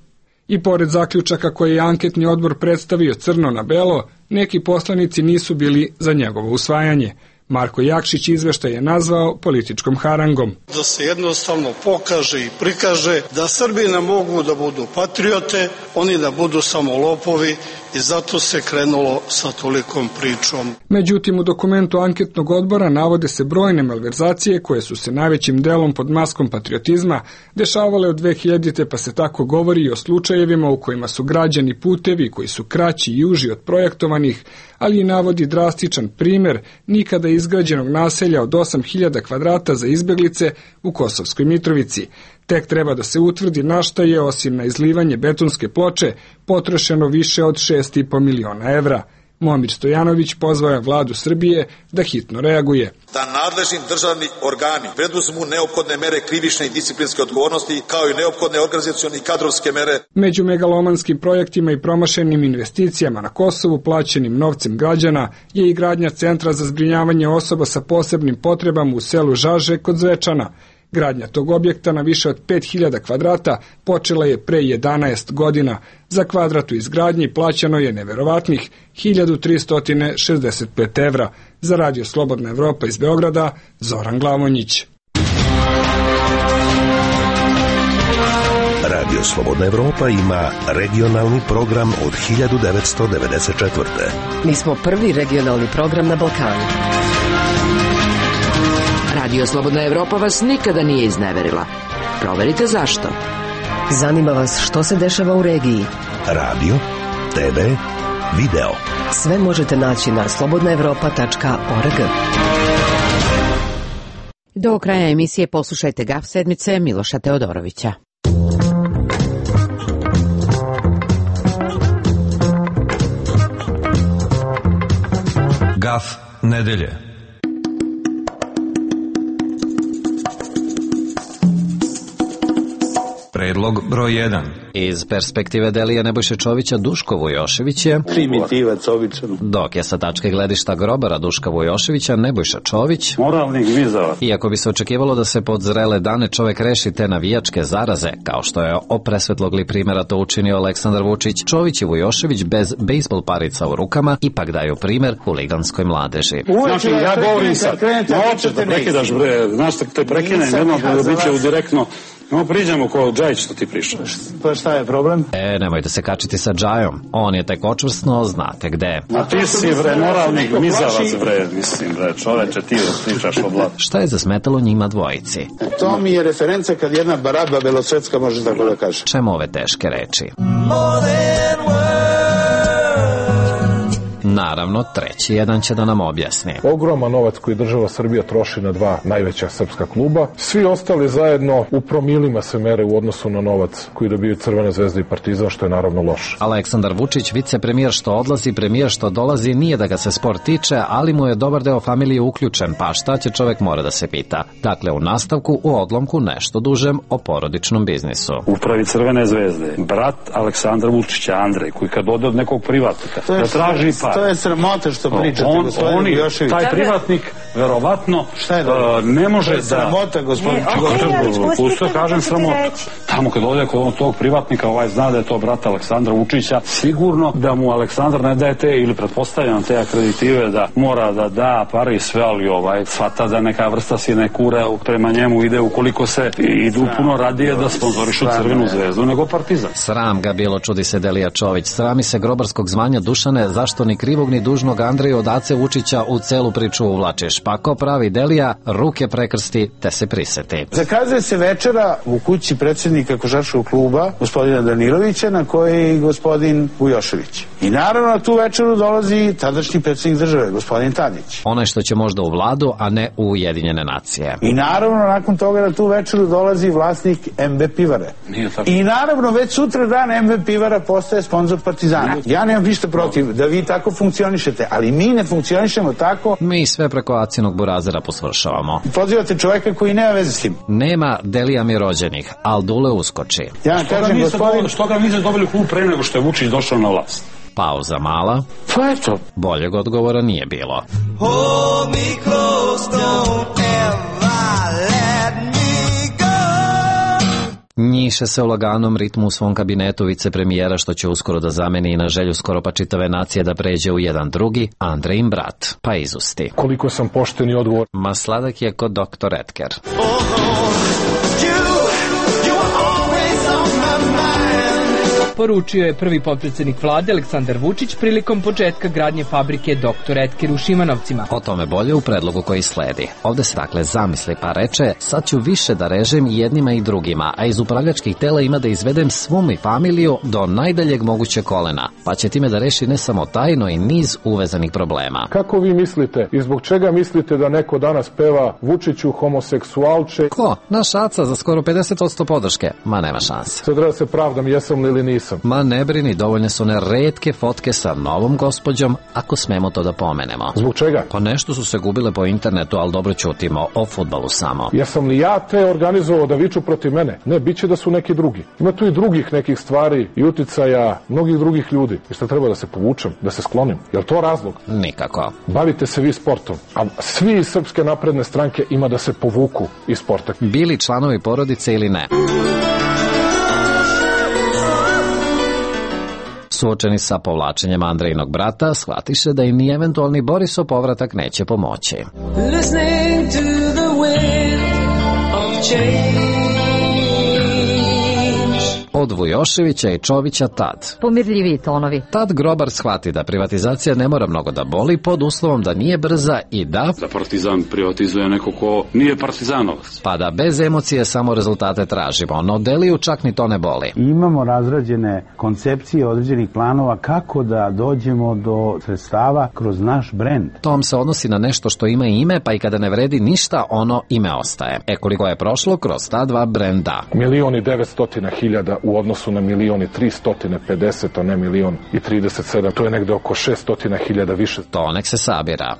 I pored zaključaka koje je anketni odbor predstavio crno na belo, neki poslanici nisu bili za njegovo usvajanje. Marko Jakšić izveštaj je nazvao političkom harangom. Da se jednostavno pokaže i prikaže da Srbi ne mogu da budu patriote, oni da budu samo lopovi, i zato se krenulo sa tolikom pričom. Međutim, u dokumentu anketnog odbora navode se brojne malverzacije koje su se najvećim delom pod maskom patriotizma dešavale od 2000. pa se tako govori i o slučajevima u kojima su građani putevi koji su kraći i uži od projektovanih, ali i navodi drastičan primer nikada izgrađenog naselja od 8000 kvadrata za izbeglice u Kosovskoj Mitrovici. Tek treba da se utvrdi na šta je, osim na izlivanje betonske ploče, potrošeno više od 6,5 miliona evra. Momir Stojanović pozvao je vladu Srbije da hitno reaguje. Da nadležni državni organi preduzmu neophodne mere krivične i disciplinske odgovornosti, kao i neophodne organizacione i kadrovske mere. Među megalomanskim projektima i promašenim investicijama na Kosovu plaćenim novcem građana je i gradnja centra za zbrinjavanje osoba sa posebnim potrebama u selu Žaže kod Zvečana. Gradnja tog objekta na više od 5000 kvadrata počela je pre 11 godina. Za kvadrat u izgradnji plaćano je neverovatnih 1365 evra. Za Radio Slobodna Evropa iz Beograda, Zoran Glavonjić. Radio Slobodna Evropa ima regionalni program od 1994. Mi smo prvi regionalni program na Balkanu. Radio Slobodna Evropa vas nikada nije izneverila. Proverite zašto. Zanima vas što se dešava u regiji. Radio, TV, video. Sve možete naći na slobodnaevropa.org. Do kraja emisije poslušajte GAF sedmice Miloša Teodorovića. GAF nedelje. Predlog broj 1. Iz perspektive Delija Nebojše Čovića, Duško Vujošević je primitivac običan. Dok je sa tačke gledišta grobara Duška Vujoševića Nebojša Čović moralni gmizavac. Iako bi se očekivalo da se pod zrele dane čovek reši te navijačke zaraze, kao što je opresvetlogli primjera to učinio Aleksandar Vučić, Čović i Vujošević bez bejsbol parica u rukama ipak daju primjer huliganskoj mladeži. Znači, ja govorim sad, hoćeš da prekidaš, bre, znaš da te prekinem, jednom da biće u direktno. No, priđemo ko Džajić što ti pričaš. Pa šta je problem? Nemojte se kačiti sa Džajom. On je tek očvrsno, znate gde. A ti si, bre, moralni gmizavac, bre, mislim, bre, čoveče, ti pričaš o blatu. Šta je zasmetalo njima dvojici? To mi je referenca kad jedna baraba belosvetska može tako da kaže. Čemu ove teške reči? Naravno, treći jedan će da nam objasni. Ogroman novac koji država Srbija troši na dva najveća srpska kluba. Svi ostali zajedno u promilima se mere u odnosu na novac koji dobiju Crvena zvezda i Partizan, što je naravno loše. Aleksandar Vučić, vicepremijer što odlazi, premijer što dolazi, nije da ga se sport tiče, ali mu je dobar deo familije uključen, pa šta će čovek mora da se pita. Dakle, u nastavku, u odlomku nešto dužem o porodičnom biznisu. Upravi Crvene zvezde, brat Aleksandra Vučića, Andrej, koji kad ode od nekog privatnika da traži par. To je sramota što pričate, gospodin Vujošević. Taj privatnik, verovatno, ne može da... Sramota, gospodin Vujošević. Kažem sramota. Tamo kad ode kod tog privatnika, zna da je to brat Aleksandra Vučića, sigurno da mu Aleksandar ne daje te, ili pretpostavljam te akreditive da mora da da pare i sve, ali shvata da neka vrsta sine kure prema njemu ide, ukoliko se idu puno radije da sponzorišu Crvenu zvezdu nego Partizan. Sram ga bilo, čudi se Delija Čović. Srami se grobarskog zvanja Dušane, zašto ni krivog ni dužnog Andreju od Ace Vučića u celu priču uvlačiš. Pa ko pravi Delija, ruke prekrsti te se priseti. Zakazuje se večera u kući predsjednika košarkaškog kluba, gospodina Danilovića, na kojoj je gospodin Vujošević. I naravno na tu večeru dolazi tadašnji predsjednik države, gospodin Tadić. Onaj što će možda u vladu, a ne u Ujedinjene nacije. I naravno nakon toga na tu večeru dolazi vlasnik MB Pivare. I naravno već sutra dan MB Pivara postaje sponzor Partizana. Ja nemam ništa protiv da vi tako funkcionišete, ali mi ne funkcionišemo tako. Mi sve preko Acinog burazera posvršavamo. Pozivate čoveka koji nema veze s tim. Nema Delija mi rođenih, al Dule uskoči. Ja kažem, gospodin... Što ga niste dobili klub pre nego što je Vučić došao na vlast? Pauza mala. Pa eto. Boljeg odgovora nije bilo. Hold me close, don't ever let me go. Njiše se u laganom ritmu u svom kabinetu vicepremijera, što će uskoro da zameni i na želju skoro pa čitave nacije da pređe u jedan drugi, Andrejin brat, pa izusti. Koliko sam pošten i odgovor. Ma sladak je kod doktor Edker. Poručio je prvi potpredsjednik vlade Aleksandar Vučić prilikom početka gradnje fabrike Dr. Edker u Šimanovcima. O tome bolje u predlogu koji sledi. Ovde se dakle zamisli pa reče, sad ću više da režem jednima i drugima, a iz upravljačkih tela ima da izvedem svu mi familiju do najdaljeg moguće kolena, pa će time da reši ne samo tajno i niz uvezanih problema. Kako vi mislite i zbog čega mislite da neko danas peva Vučiću homoseksualče? Ko? Naš Aca za skoro 50% podrške. Ma nema šanse. Sad treba se pravdam jesam li ili nisam. Ma ne brini, dovoljne su one retke fotke sa novom gospođom, ako smemo to da pomenemo. Zbog čega? Pa nešto su se gubile po internetu, ali dobro ćutimo, o fudbalu samo. Jesam li ja te organizovao da viču protiv mene? Ne, bit će da su neki drugi. Ima tu i drugih nekih stvari i uticaja mnogih drugih ljudi. I šta treba da se povučem, da se sklonim? Je li to razlog? Nikako. Bavite se vi sportom, a svi iz Srpske napredne stranke ima da se povuku iz sporta. Bili članovi porodice ili ne? Suočeni sa povlačenjem Andrejinog brata, shvatiše da im ni eventualni Borisov povratak neće pomoći. Od Vujoševića i Čovića tad. Pomirljiviji tonovi. Tad grobar shvati da privatizacija ne mora mnogo da boli pod uslovom da nije brza i da Partizan privatizuje neko ko nije partizanovac. Pa da bez emocije samo rezultate tražimo, no Deliju čak ni to ne boli. Imamo razrađene koncepcije određenih planova kako da dođemo do sredstava kroz naš brend. Tom se odnosi na nešto što ima ime, pa i kada ne vredi ništa, ono ime ostaje. Koliko je prošlo kroz ta dva brenda? 1.900.000 u odnosu na 1.350.000, a ne 1.037. To je negde oko 600.000 više. To nek se sabira.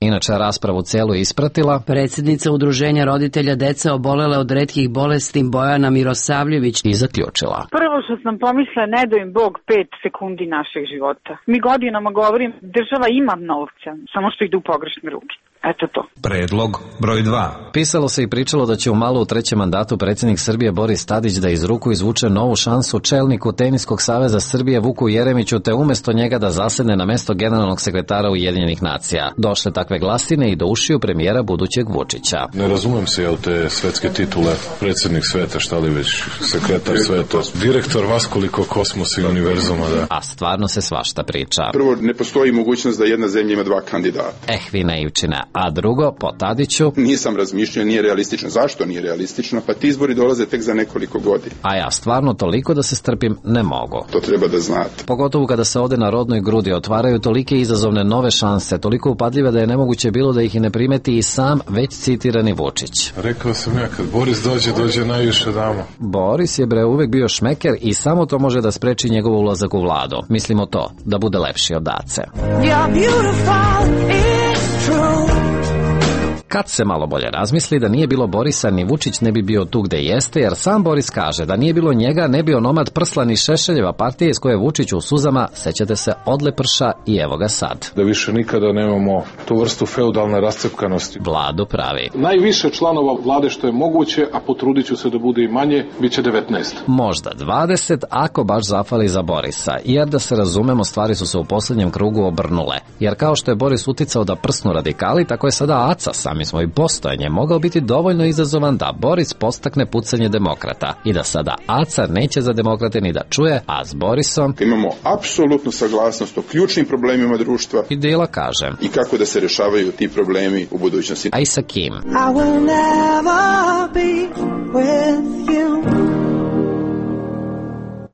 Inače, raspravu celu ispratila predsjednica Udruženja roditelja dece obolele od retkih bolesti Bojana Mirosavljević i zaključila. Prvo što sam pomislila, ne dao im Bog 5 sekundi našeg života. Mi godinama govorim, država ima novca, samo što ide u pogrešne ruke. Eto to. Predlog broj 2. Pisalo se i pričalo da će u malo u trećem mandatu predsjednik Srbije Boris Tadić da iz ruku izvuče novu šansu čelniku Teniskog saveza Srbije Vuku Jeremiću, te umesto njega da zasedne na mesto generalnog sekretara Ujedinjenih nacija. Došle takve glasine i do ušiju premijera budućeg Vučića. Ne razumem se, jel te svetske titule, predsjednik sveta, šta li već, sekretar sveta, direktor vaskoliko kosmosa i univerzuma, da. A stvarno se svašta priča. Prvo, ne postoji mogućnost da jedna zemlja ima dva kandidata. Vi naivčine. a drugo, po Tadiću, nisam razmišljao, nije realistično. Zašto nije realistično? Pa ti izbori dolaze tek za nekoliko godina. A ja stvarno toliko da se strpim ne mogu. To treba da znate. Pogotovo kada se ovde na rodnoj grudi otvaraju tolike izazovne nove šanse, toliko upadljive da je nemoguće bilo da ih i ne primeti i sam već citirani Vučić. Rekao sam ja, kad Boris dođe najviše dama. Boris je uvek bio šmeker i samo to može da spreči njegov ulazak u vladu. Mislimo to, da bude lepši od Ace. Kad se malo bolje razmisli da nije bilo Borisa, ni Vučić ne bi bio tu gde jeste, jer sam Boris kaže da nije bilo njega, ne bio onomad Prslan i Šešeljeva partija iz koje je Vučić u suzama, sećate se, odleprša i evo ga sad. Da više nikada nemamo tu vrstu feudalne rascepkanosti. Vladu pravi. Najviše članova vlade što je moguće, a potrudit ću se da bude i manje, bit će 19. Možda 20, ako baš zafali za Borisa, jer da se razumemo, stvari su se u poslednjem krugu obrnule. Jer kao što je Boris uticao da prsnu radikali, tako je sada Aca sami smo i postojanje mogao biti dovoljno izazovan da Boris postakne pucanje demokrata i da sada Aca neće za demokrate ni da čuje, a s Borisom imamo apsolutnu saglasnost o ključnim problemima društva i Dila kaže i kako da se rešavaju ti problemi u budućnosti. A i sa kim? I will never be with you.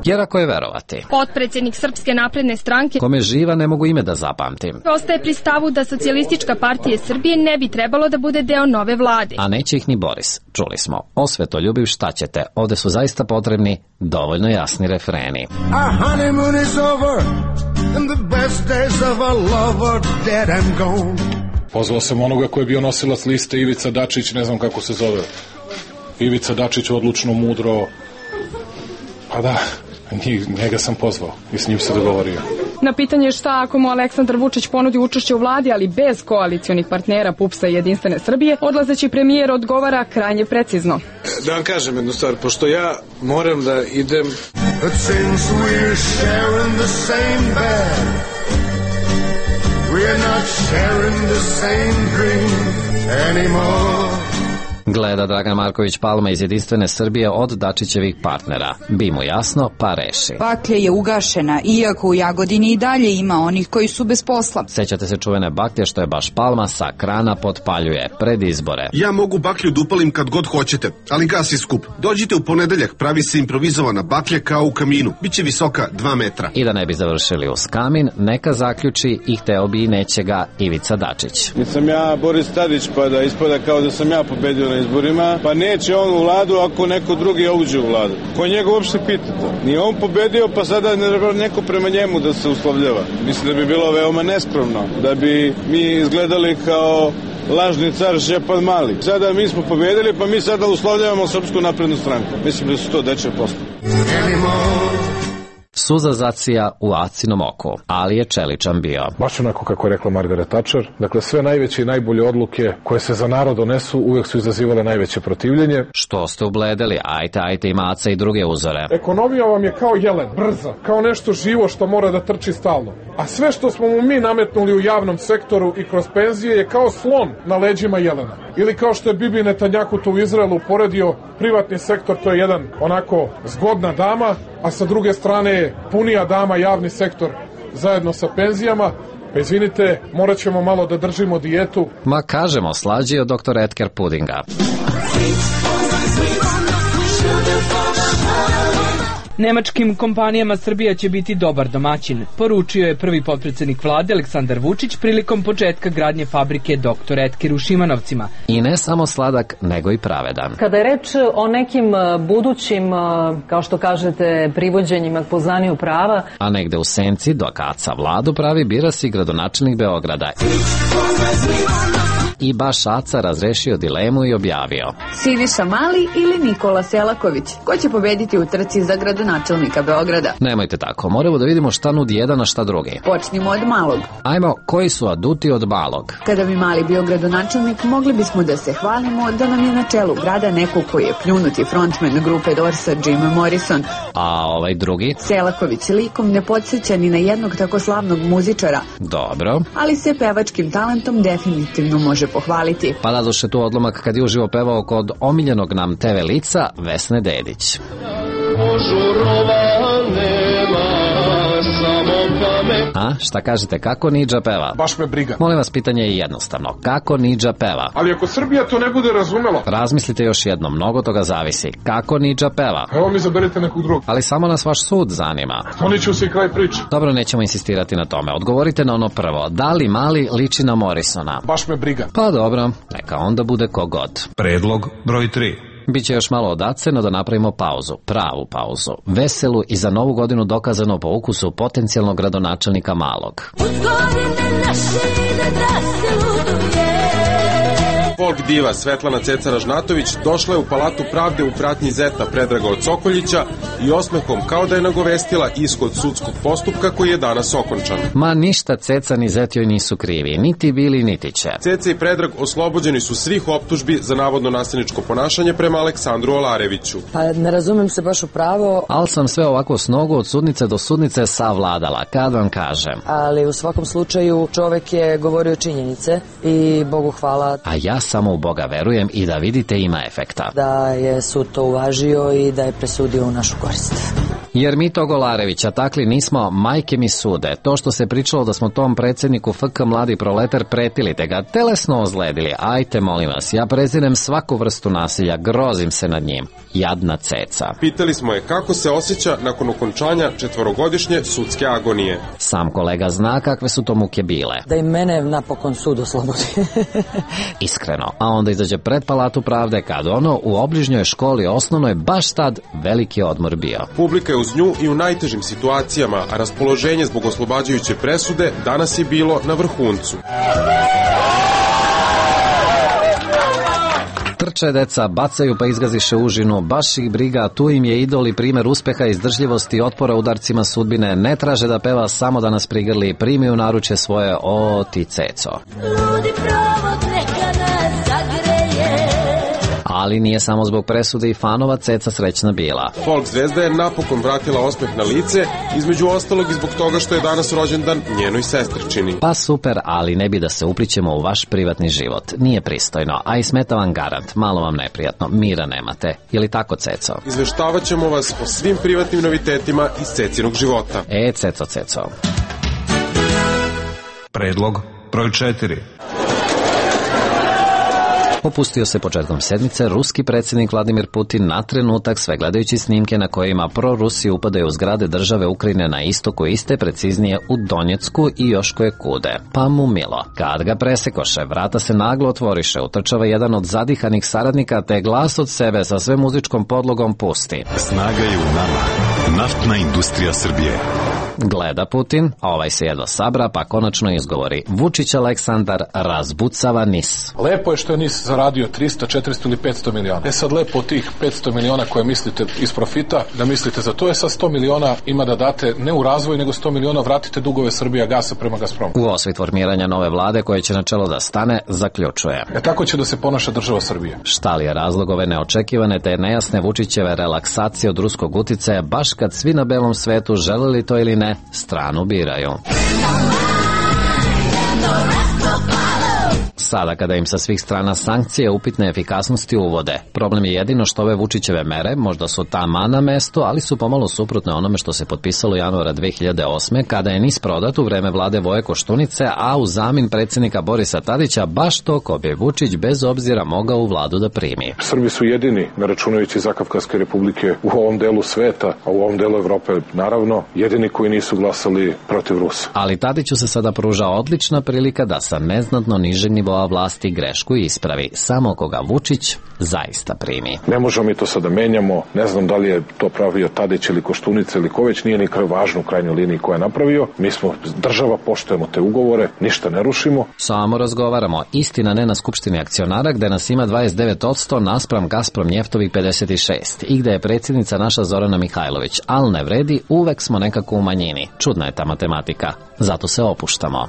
Jer ako je verovati, potpredsednik Srpske napredne stranke, kome živa ne mogu ime da zapamtim, ostaje pri stavu da Socijalistička partija Srbije ne bi trebalo da bude deo nove vlade. A neće ih ni Boris. Čuli smo, osvetoljubiv šta ćete, ovde su zaista potrebni dovoljno jasni refreni. Our honeymoon is over and the best days of our love are dead and gone. Pozvao sam onoga koji je bio nosilac liste, Ivica Dačić, ne znam kako se zove. Ivica Dačić, odlučno, mudro. Pa da, njega sam pozvao i s njim se dogovorio. Na pitanje šta ako mu Aleksandar Vučić ponudi učešće u vladi, ali bez koalicionih partnera PUPS-a i Jedinstvene Srbije, odlazeći premijer odgovara krajnje precizno. Da vam kažem jednu stvar, pošto ja moram da idem... But since we're sharing the same bed, we're not sharing the same dream anymore. Gleda Dragan Marković Palma iz Jedinstvene Srbije od Dačićevih partnera. Bi mu jasno, pa reši. Baklja je ugašena, iako u Jagodini i dalje ima onih koji su bez posla. Sećate se čuvene baklje što je baš Palma sa krana potpaljuje pred izbore. Ja mogu baklju da upalim kad god hoćete, ali gasi skup. Dođite u ponedeljak, pravi se improvizovana baklja kao u kaminu. Biće visoka 2 metra. I da ne bi završili uz kamin, neka zaključi i hteo bi i neće ga Ivica Dačić. Nisam ja Boris Tadić pa da ispada kao da sam ja pobedio na izborima, pa neće on u vladu ako neko drugi uđe u vladu. Ko njega uopšte pita to? Nije on pobedio, pa sada ne treba neko prema njemu da se uslovljava. Mislim da bi bilo veoma neskromno, da bi mi izgledali kao lažni car Šćepan Mali. Sada mi smo pobedili, pa mi sada uslovljavamo Srpsku naprednu stranku. Mislim da su to dečje posle. Suza zacija u Acinom oku, ali je čeličan bio. Baš onako kako je rekla Margaret Thatcher, dakle sve najveće i najbolje odluke koje se za narod donesu uvek su izazivale najveće protivljenje. Što ste ubledeli? Ajte ima Aca i druge uzore. Ekonomija vam je kao jelen, brza, kao nešto živo što mora da trči stalno. A sve što smo mu mi nametnuli u javnom sektoru i kroz penzije je kao slon na leđima jelena. Ili kao što je Bibi Netanjahu to u Izraelu uporedio, privatni sektor to je jedan onako zgodna dama, a sa druge strane je punija dama javni sektor zajedno sa penzijama. Pa izvinite, morat ćemo malo da držimo dijetu. Ma kažemo, slađi od dr. Edgar Pudinga. Nemačkim kompanijama Srbija će biti dobar domaćin, poručio je prvi potpredsednik vlade Aleksandar Vučić prilikom početka gradnje fabrike Dr. Edker u Šimanovcima. I ne samo sladak, nego i pravedan. Kada je reč o nekim budućim, kao što kažete, privođenjima k poznanju prava, a negde u senci, dok Aca vladu pravi, bira si gradonačelnik Beograda. I baš Aca razrešio dilemu i objavio: Siniša Mali ili Nikola Selaković? Ko će pobediti u trci za gradonačelnika Beograda? Nemojte tako, moramo da vidimo šta nudi jedan, a šta drugi. Počnimo od malog. Ajmo, koji su aduti od malog? Kada bi Mali bio gradonačelnik, mogli bismo da se hvalimo da nam je na čelu grada neko koji je pljunuti frontman grupe Dorsa, Jim Morrison. A ovaj drugi? Selaković likom ne podsjeća ni na jednog tako slavnog muzičara. Dobro. Ali se pevačkim talentom definitivno može pohvaliti. Pa da duše tu odlomak kad je uživo pevao kod omiljenog nam TV lica Vesne Dedić. Požurova nema, samo me. A, šta kažete, kako Nidža peva? Baš me briga. Molim vas, pitanje je jednostavno. Kako Nidža peva? Ali ako Srbija to ne bude razumela... Razmislite još jednom, mnogo toga zavisi. Kako Nidža peva? Evo mi zaberite nekog drugog. Ali samo nas vaš sud zanima. Oni će se i kraj priče. Dobro, nećemo insistirati na tome. Odgovorite na ono prvo. Da li Mali liči na Morrisona? Baš me briga. Pa dobro, neka onda bude kogod. Predlog broj 3. Biće još malo odace, no da napravimo pauzu, pravu pauzu, veselu i za novu godinu dokazano po ukusu potencijalnog gradonačelnika Malog. Folk diva Svetlana Ceca-Ražnatović došla je u Palatu pravde u pratnji zeta Predraga od Sokoljića i osmehom kao da je nagovestila ishod sudskog postupka koji je danas okončan. Ma ništa Ceca ni zet joj nisu krivi, niti bili niti će. Ceca i Predrag oslobođeni su svih optužbi za navodno nasilničko ponašanje prema Aleksandru Olareviću. Pa ne razumem se baš u pravo. Al sam sve ovako s nogu od sudnice do sudnice savladala, kad vam kažem. Ali u svakom slučaju čovek je govorio činjenice i Bogu hvala. A ja samo u Boga verujem i da vidite ima efekta. Da je sud to uvažio i da je presudio u našu korist. Jer mi tog Olarevića takli nismo, majke mi sude. To što se pričalo da smo tom predsjedniku FK Mladi proletar pretili te ga telesno ozledili. Ajte molim vas, ja prezirem svaku vrstu nasilja, grozim se nad njim. Jadna Ceca. Pitali smo je kako se osjeća nakon okončanja 4-godišnje sudske agonije. Sam kolega zna kakve su to muke bile. Da i mene napokon sud oslobodi. Iskreno. A onda izađe pred Palatu pravde kad ono u obližnjoj školi osnovnoj baš tad veliki odmor bio. Publika je uz nju i u najtežim situacijama, a raspoloženje zbog oslobađajuće presude danas je bilo na vrhuncu. Trče deca, bacaju pa izgaziše užinu, baš ih briga, tu im je idol i primjer uspeha, izdržljivosti i otpora udarcima sudbine, ne traže da peva, samo da nas prigrli, primi u naruče svoje, o ti Ceco. Ludi provod neka nas zagreje. Ali nije samo zbog presude i fanova Ceca srećna bila. Folk zvezda je napokon vratila osmeh na lice, između ostalog i zbog toga što je danas rođendan njenoj sestrčini. Pa super, ali ne bi da se uplićemo u vaš privatni život. Nije pristojno, a i smeta vam garant, malo vam neprijatno, mira nemate. Je li tako, Ceco? Izveštavat ćemo vas o svim privatnim novitetima iz Cecinog života. Ceco. Predlog broj 4. Opustio se početkom sedmice ruski predsjednik Vladimir Putin na trenutak, sve gledajući snimke na kojima prorusi upadaju u zgrade države Ukrajine na istoku iste, preciznije u Donjecku i još koje kude. Pa mu milo. Kad ga presekoše, vrata se naglo otvoriše, utrčava jedan od zadihanih saradnika te glas od sebe sa sve muzičkom podlogom pusti. Snaga je u nama. Naftna industrija Srbije. Gleda Putin, a ovaj se jedva sabra, pa konačno izgovori. Vučić Aleksandar razbucava NIS. Lepo je što je NIS zaradio 300, 400 ili 500 miliona. Sad lepo od tih 500 miliona koje mislite iz profita, da mislite za to je sa 100 miliona ima da date ne u razvoj, nego 100 miliona vratite dugove Srbija gasa prema Gazpromu. U osvit formiranja nove vlade koje će na čelo da stane, zaključuje. Tako će da se ponaša država Srbije. Šta li je razlog ove neočekivane te nejasne Vučićeve relaksacije od ruskog uticaja, baš kad svi na belom svetu, želeli to ili ne, stranu biraju. Sada kada im sa svih strana sankcije upitne efikasnosti uvode. Problem je jedino što ove Vučićeve mere možda su tama na mesto, ali su pomalo suprotne onome što se potpisalo januara 2008. kada je NIS prodat u vreme vlade Voje Koštunice, a u zamin predsjednika Borisa Tadića baš to ko bi Vučić bez obzira mogao u vladu da primi. Srbi su jedini, ne računajući Zakavkazske republike, u ovom delu sveta, a u ovom delu Evrope naravno, jedini koji nisu glasali protiv Rusa. Ali Tadiću se sada pruža odlična prilika da sa neznatno nižeg nivoa vlasti grešku ispravi, samo koga Vučić zaista primi. Ne možemo mi to sada menjamo, ne znam da li je to pravio Tadić ili Koštunica ili ko već, nije ni važno u krajnjoj liniji ko je napravio. Mi smo država, poštujemo te ugovore, ništa ne rušimo. Samo razgovaramo, istina ne na skupštini akcionara gde nas ima 29% naspram Gazprom Njeftovih 56 i gde je predsjednica naša Zorana Mihajlović, al ne vredi, uvek smo nekako u manjini. Čudna je ta matematika, zato se opuštamo.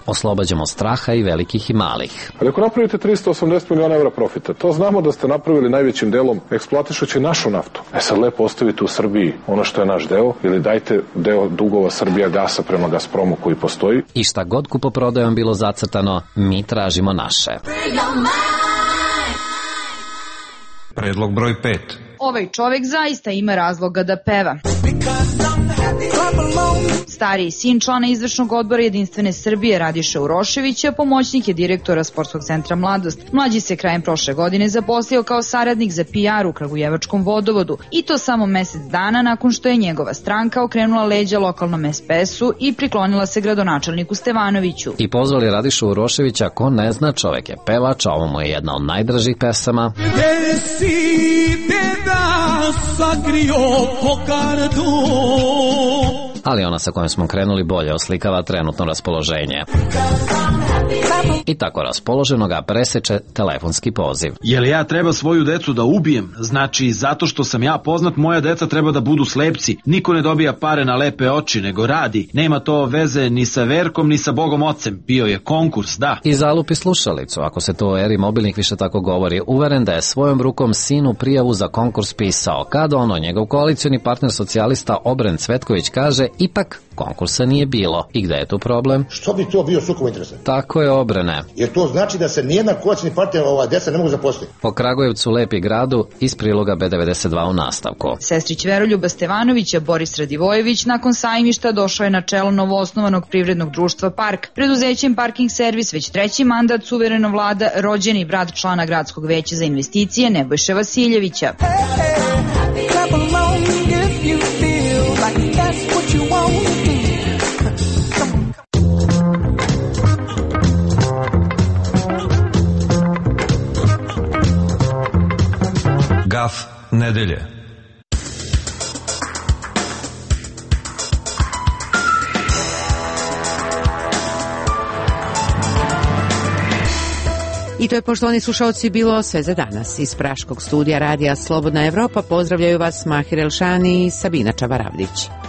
Oslobađamo straha i velikih i malih. Ali ako napravite 380 miliona evra profita, to znamo da ste napravili najvećim delom eksploatišući našu naftu. Sad lepo ostavite u Srbiji ono što je naš deo ili dajte deo dugova Srbija gasa prema Gazpromu koji postoji. I šta god kupoprodajom bilo zacrtano, mi tražimo naše. Predlog broj 5. Ovaj čovek zaista ima razloga da peva. Stariji sin člana izvršnog odbora Jedinstvene Srbije Radiša Uroševića pomoćnik je direktora Sportskog centra Mladost. Mlađi se krajem prošle godine zaposlio kao saradnik za PR u Kragujevačkom vodovodu i to samo mesec dana nakon što je njegova stranka okrenula leđa lokalnom SPS-u i priklonila se gradonačelniku Stevanoviću. I pozvali Radišu Uroševića, ko ne zna, čovek je pevač, a ovo mu je jedna od najdražih pesama. Ali ona sa kojom smo krenuli bolje oslikava trenutno raspoloženje. I tako raspoloženo ga preseče telefonski poziv. Jel ja treba svoju decu da ubijem? Znači, zato što sam ja poznat, moja deca treba da budu slepci. Niko ne dobija pare na lepe oči, nego radi. Nema to veze ni sa Verkom, ni sa Bogom Ocem. Bio je konkurs, da. I zalupi slušalicu, ako se to u eri mobilnih više tako govori, uveren da je svojom rukom sinu prijavu za konkurs pisao. Kada njegov koalicioni partner socijalista Obren Cvetković kaže, ipak konkursa nije bilo. I gde je tu problem? Što bi to bio sukob interesa? Tako je, Obrene. Jer to znači da se nijedna koalicioni partner deca ne mogu zaposliti. Po Kragujevcu, Lepi gradu, iz priloga B92 u nastavku. Sestrić Veroljuba Stevanovića, Boris Radivojević, nakon sajmišta došao je na čelo novoosnovanog privrednog društva Park. Preduzećem Parking Servis već treći mandat suvereno vlada rođeni brat člana Gradskog veća za investicije Nebojše Vasiljevića. Gaf nedelje. I to je, poštovani slušalci, bilo sve za danas. Iz Praškog studija radija Slobodna Evropa pozdravljaju vas Mahir Elšani i Sabina Čabaravdić.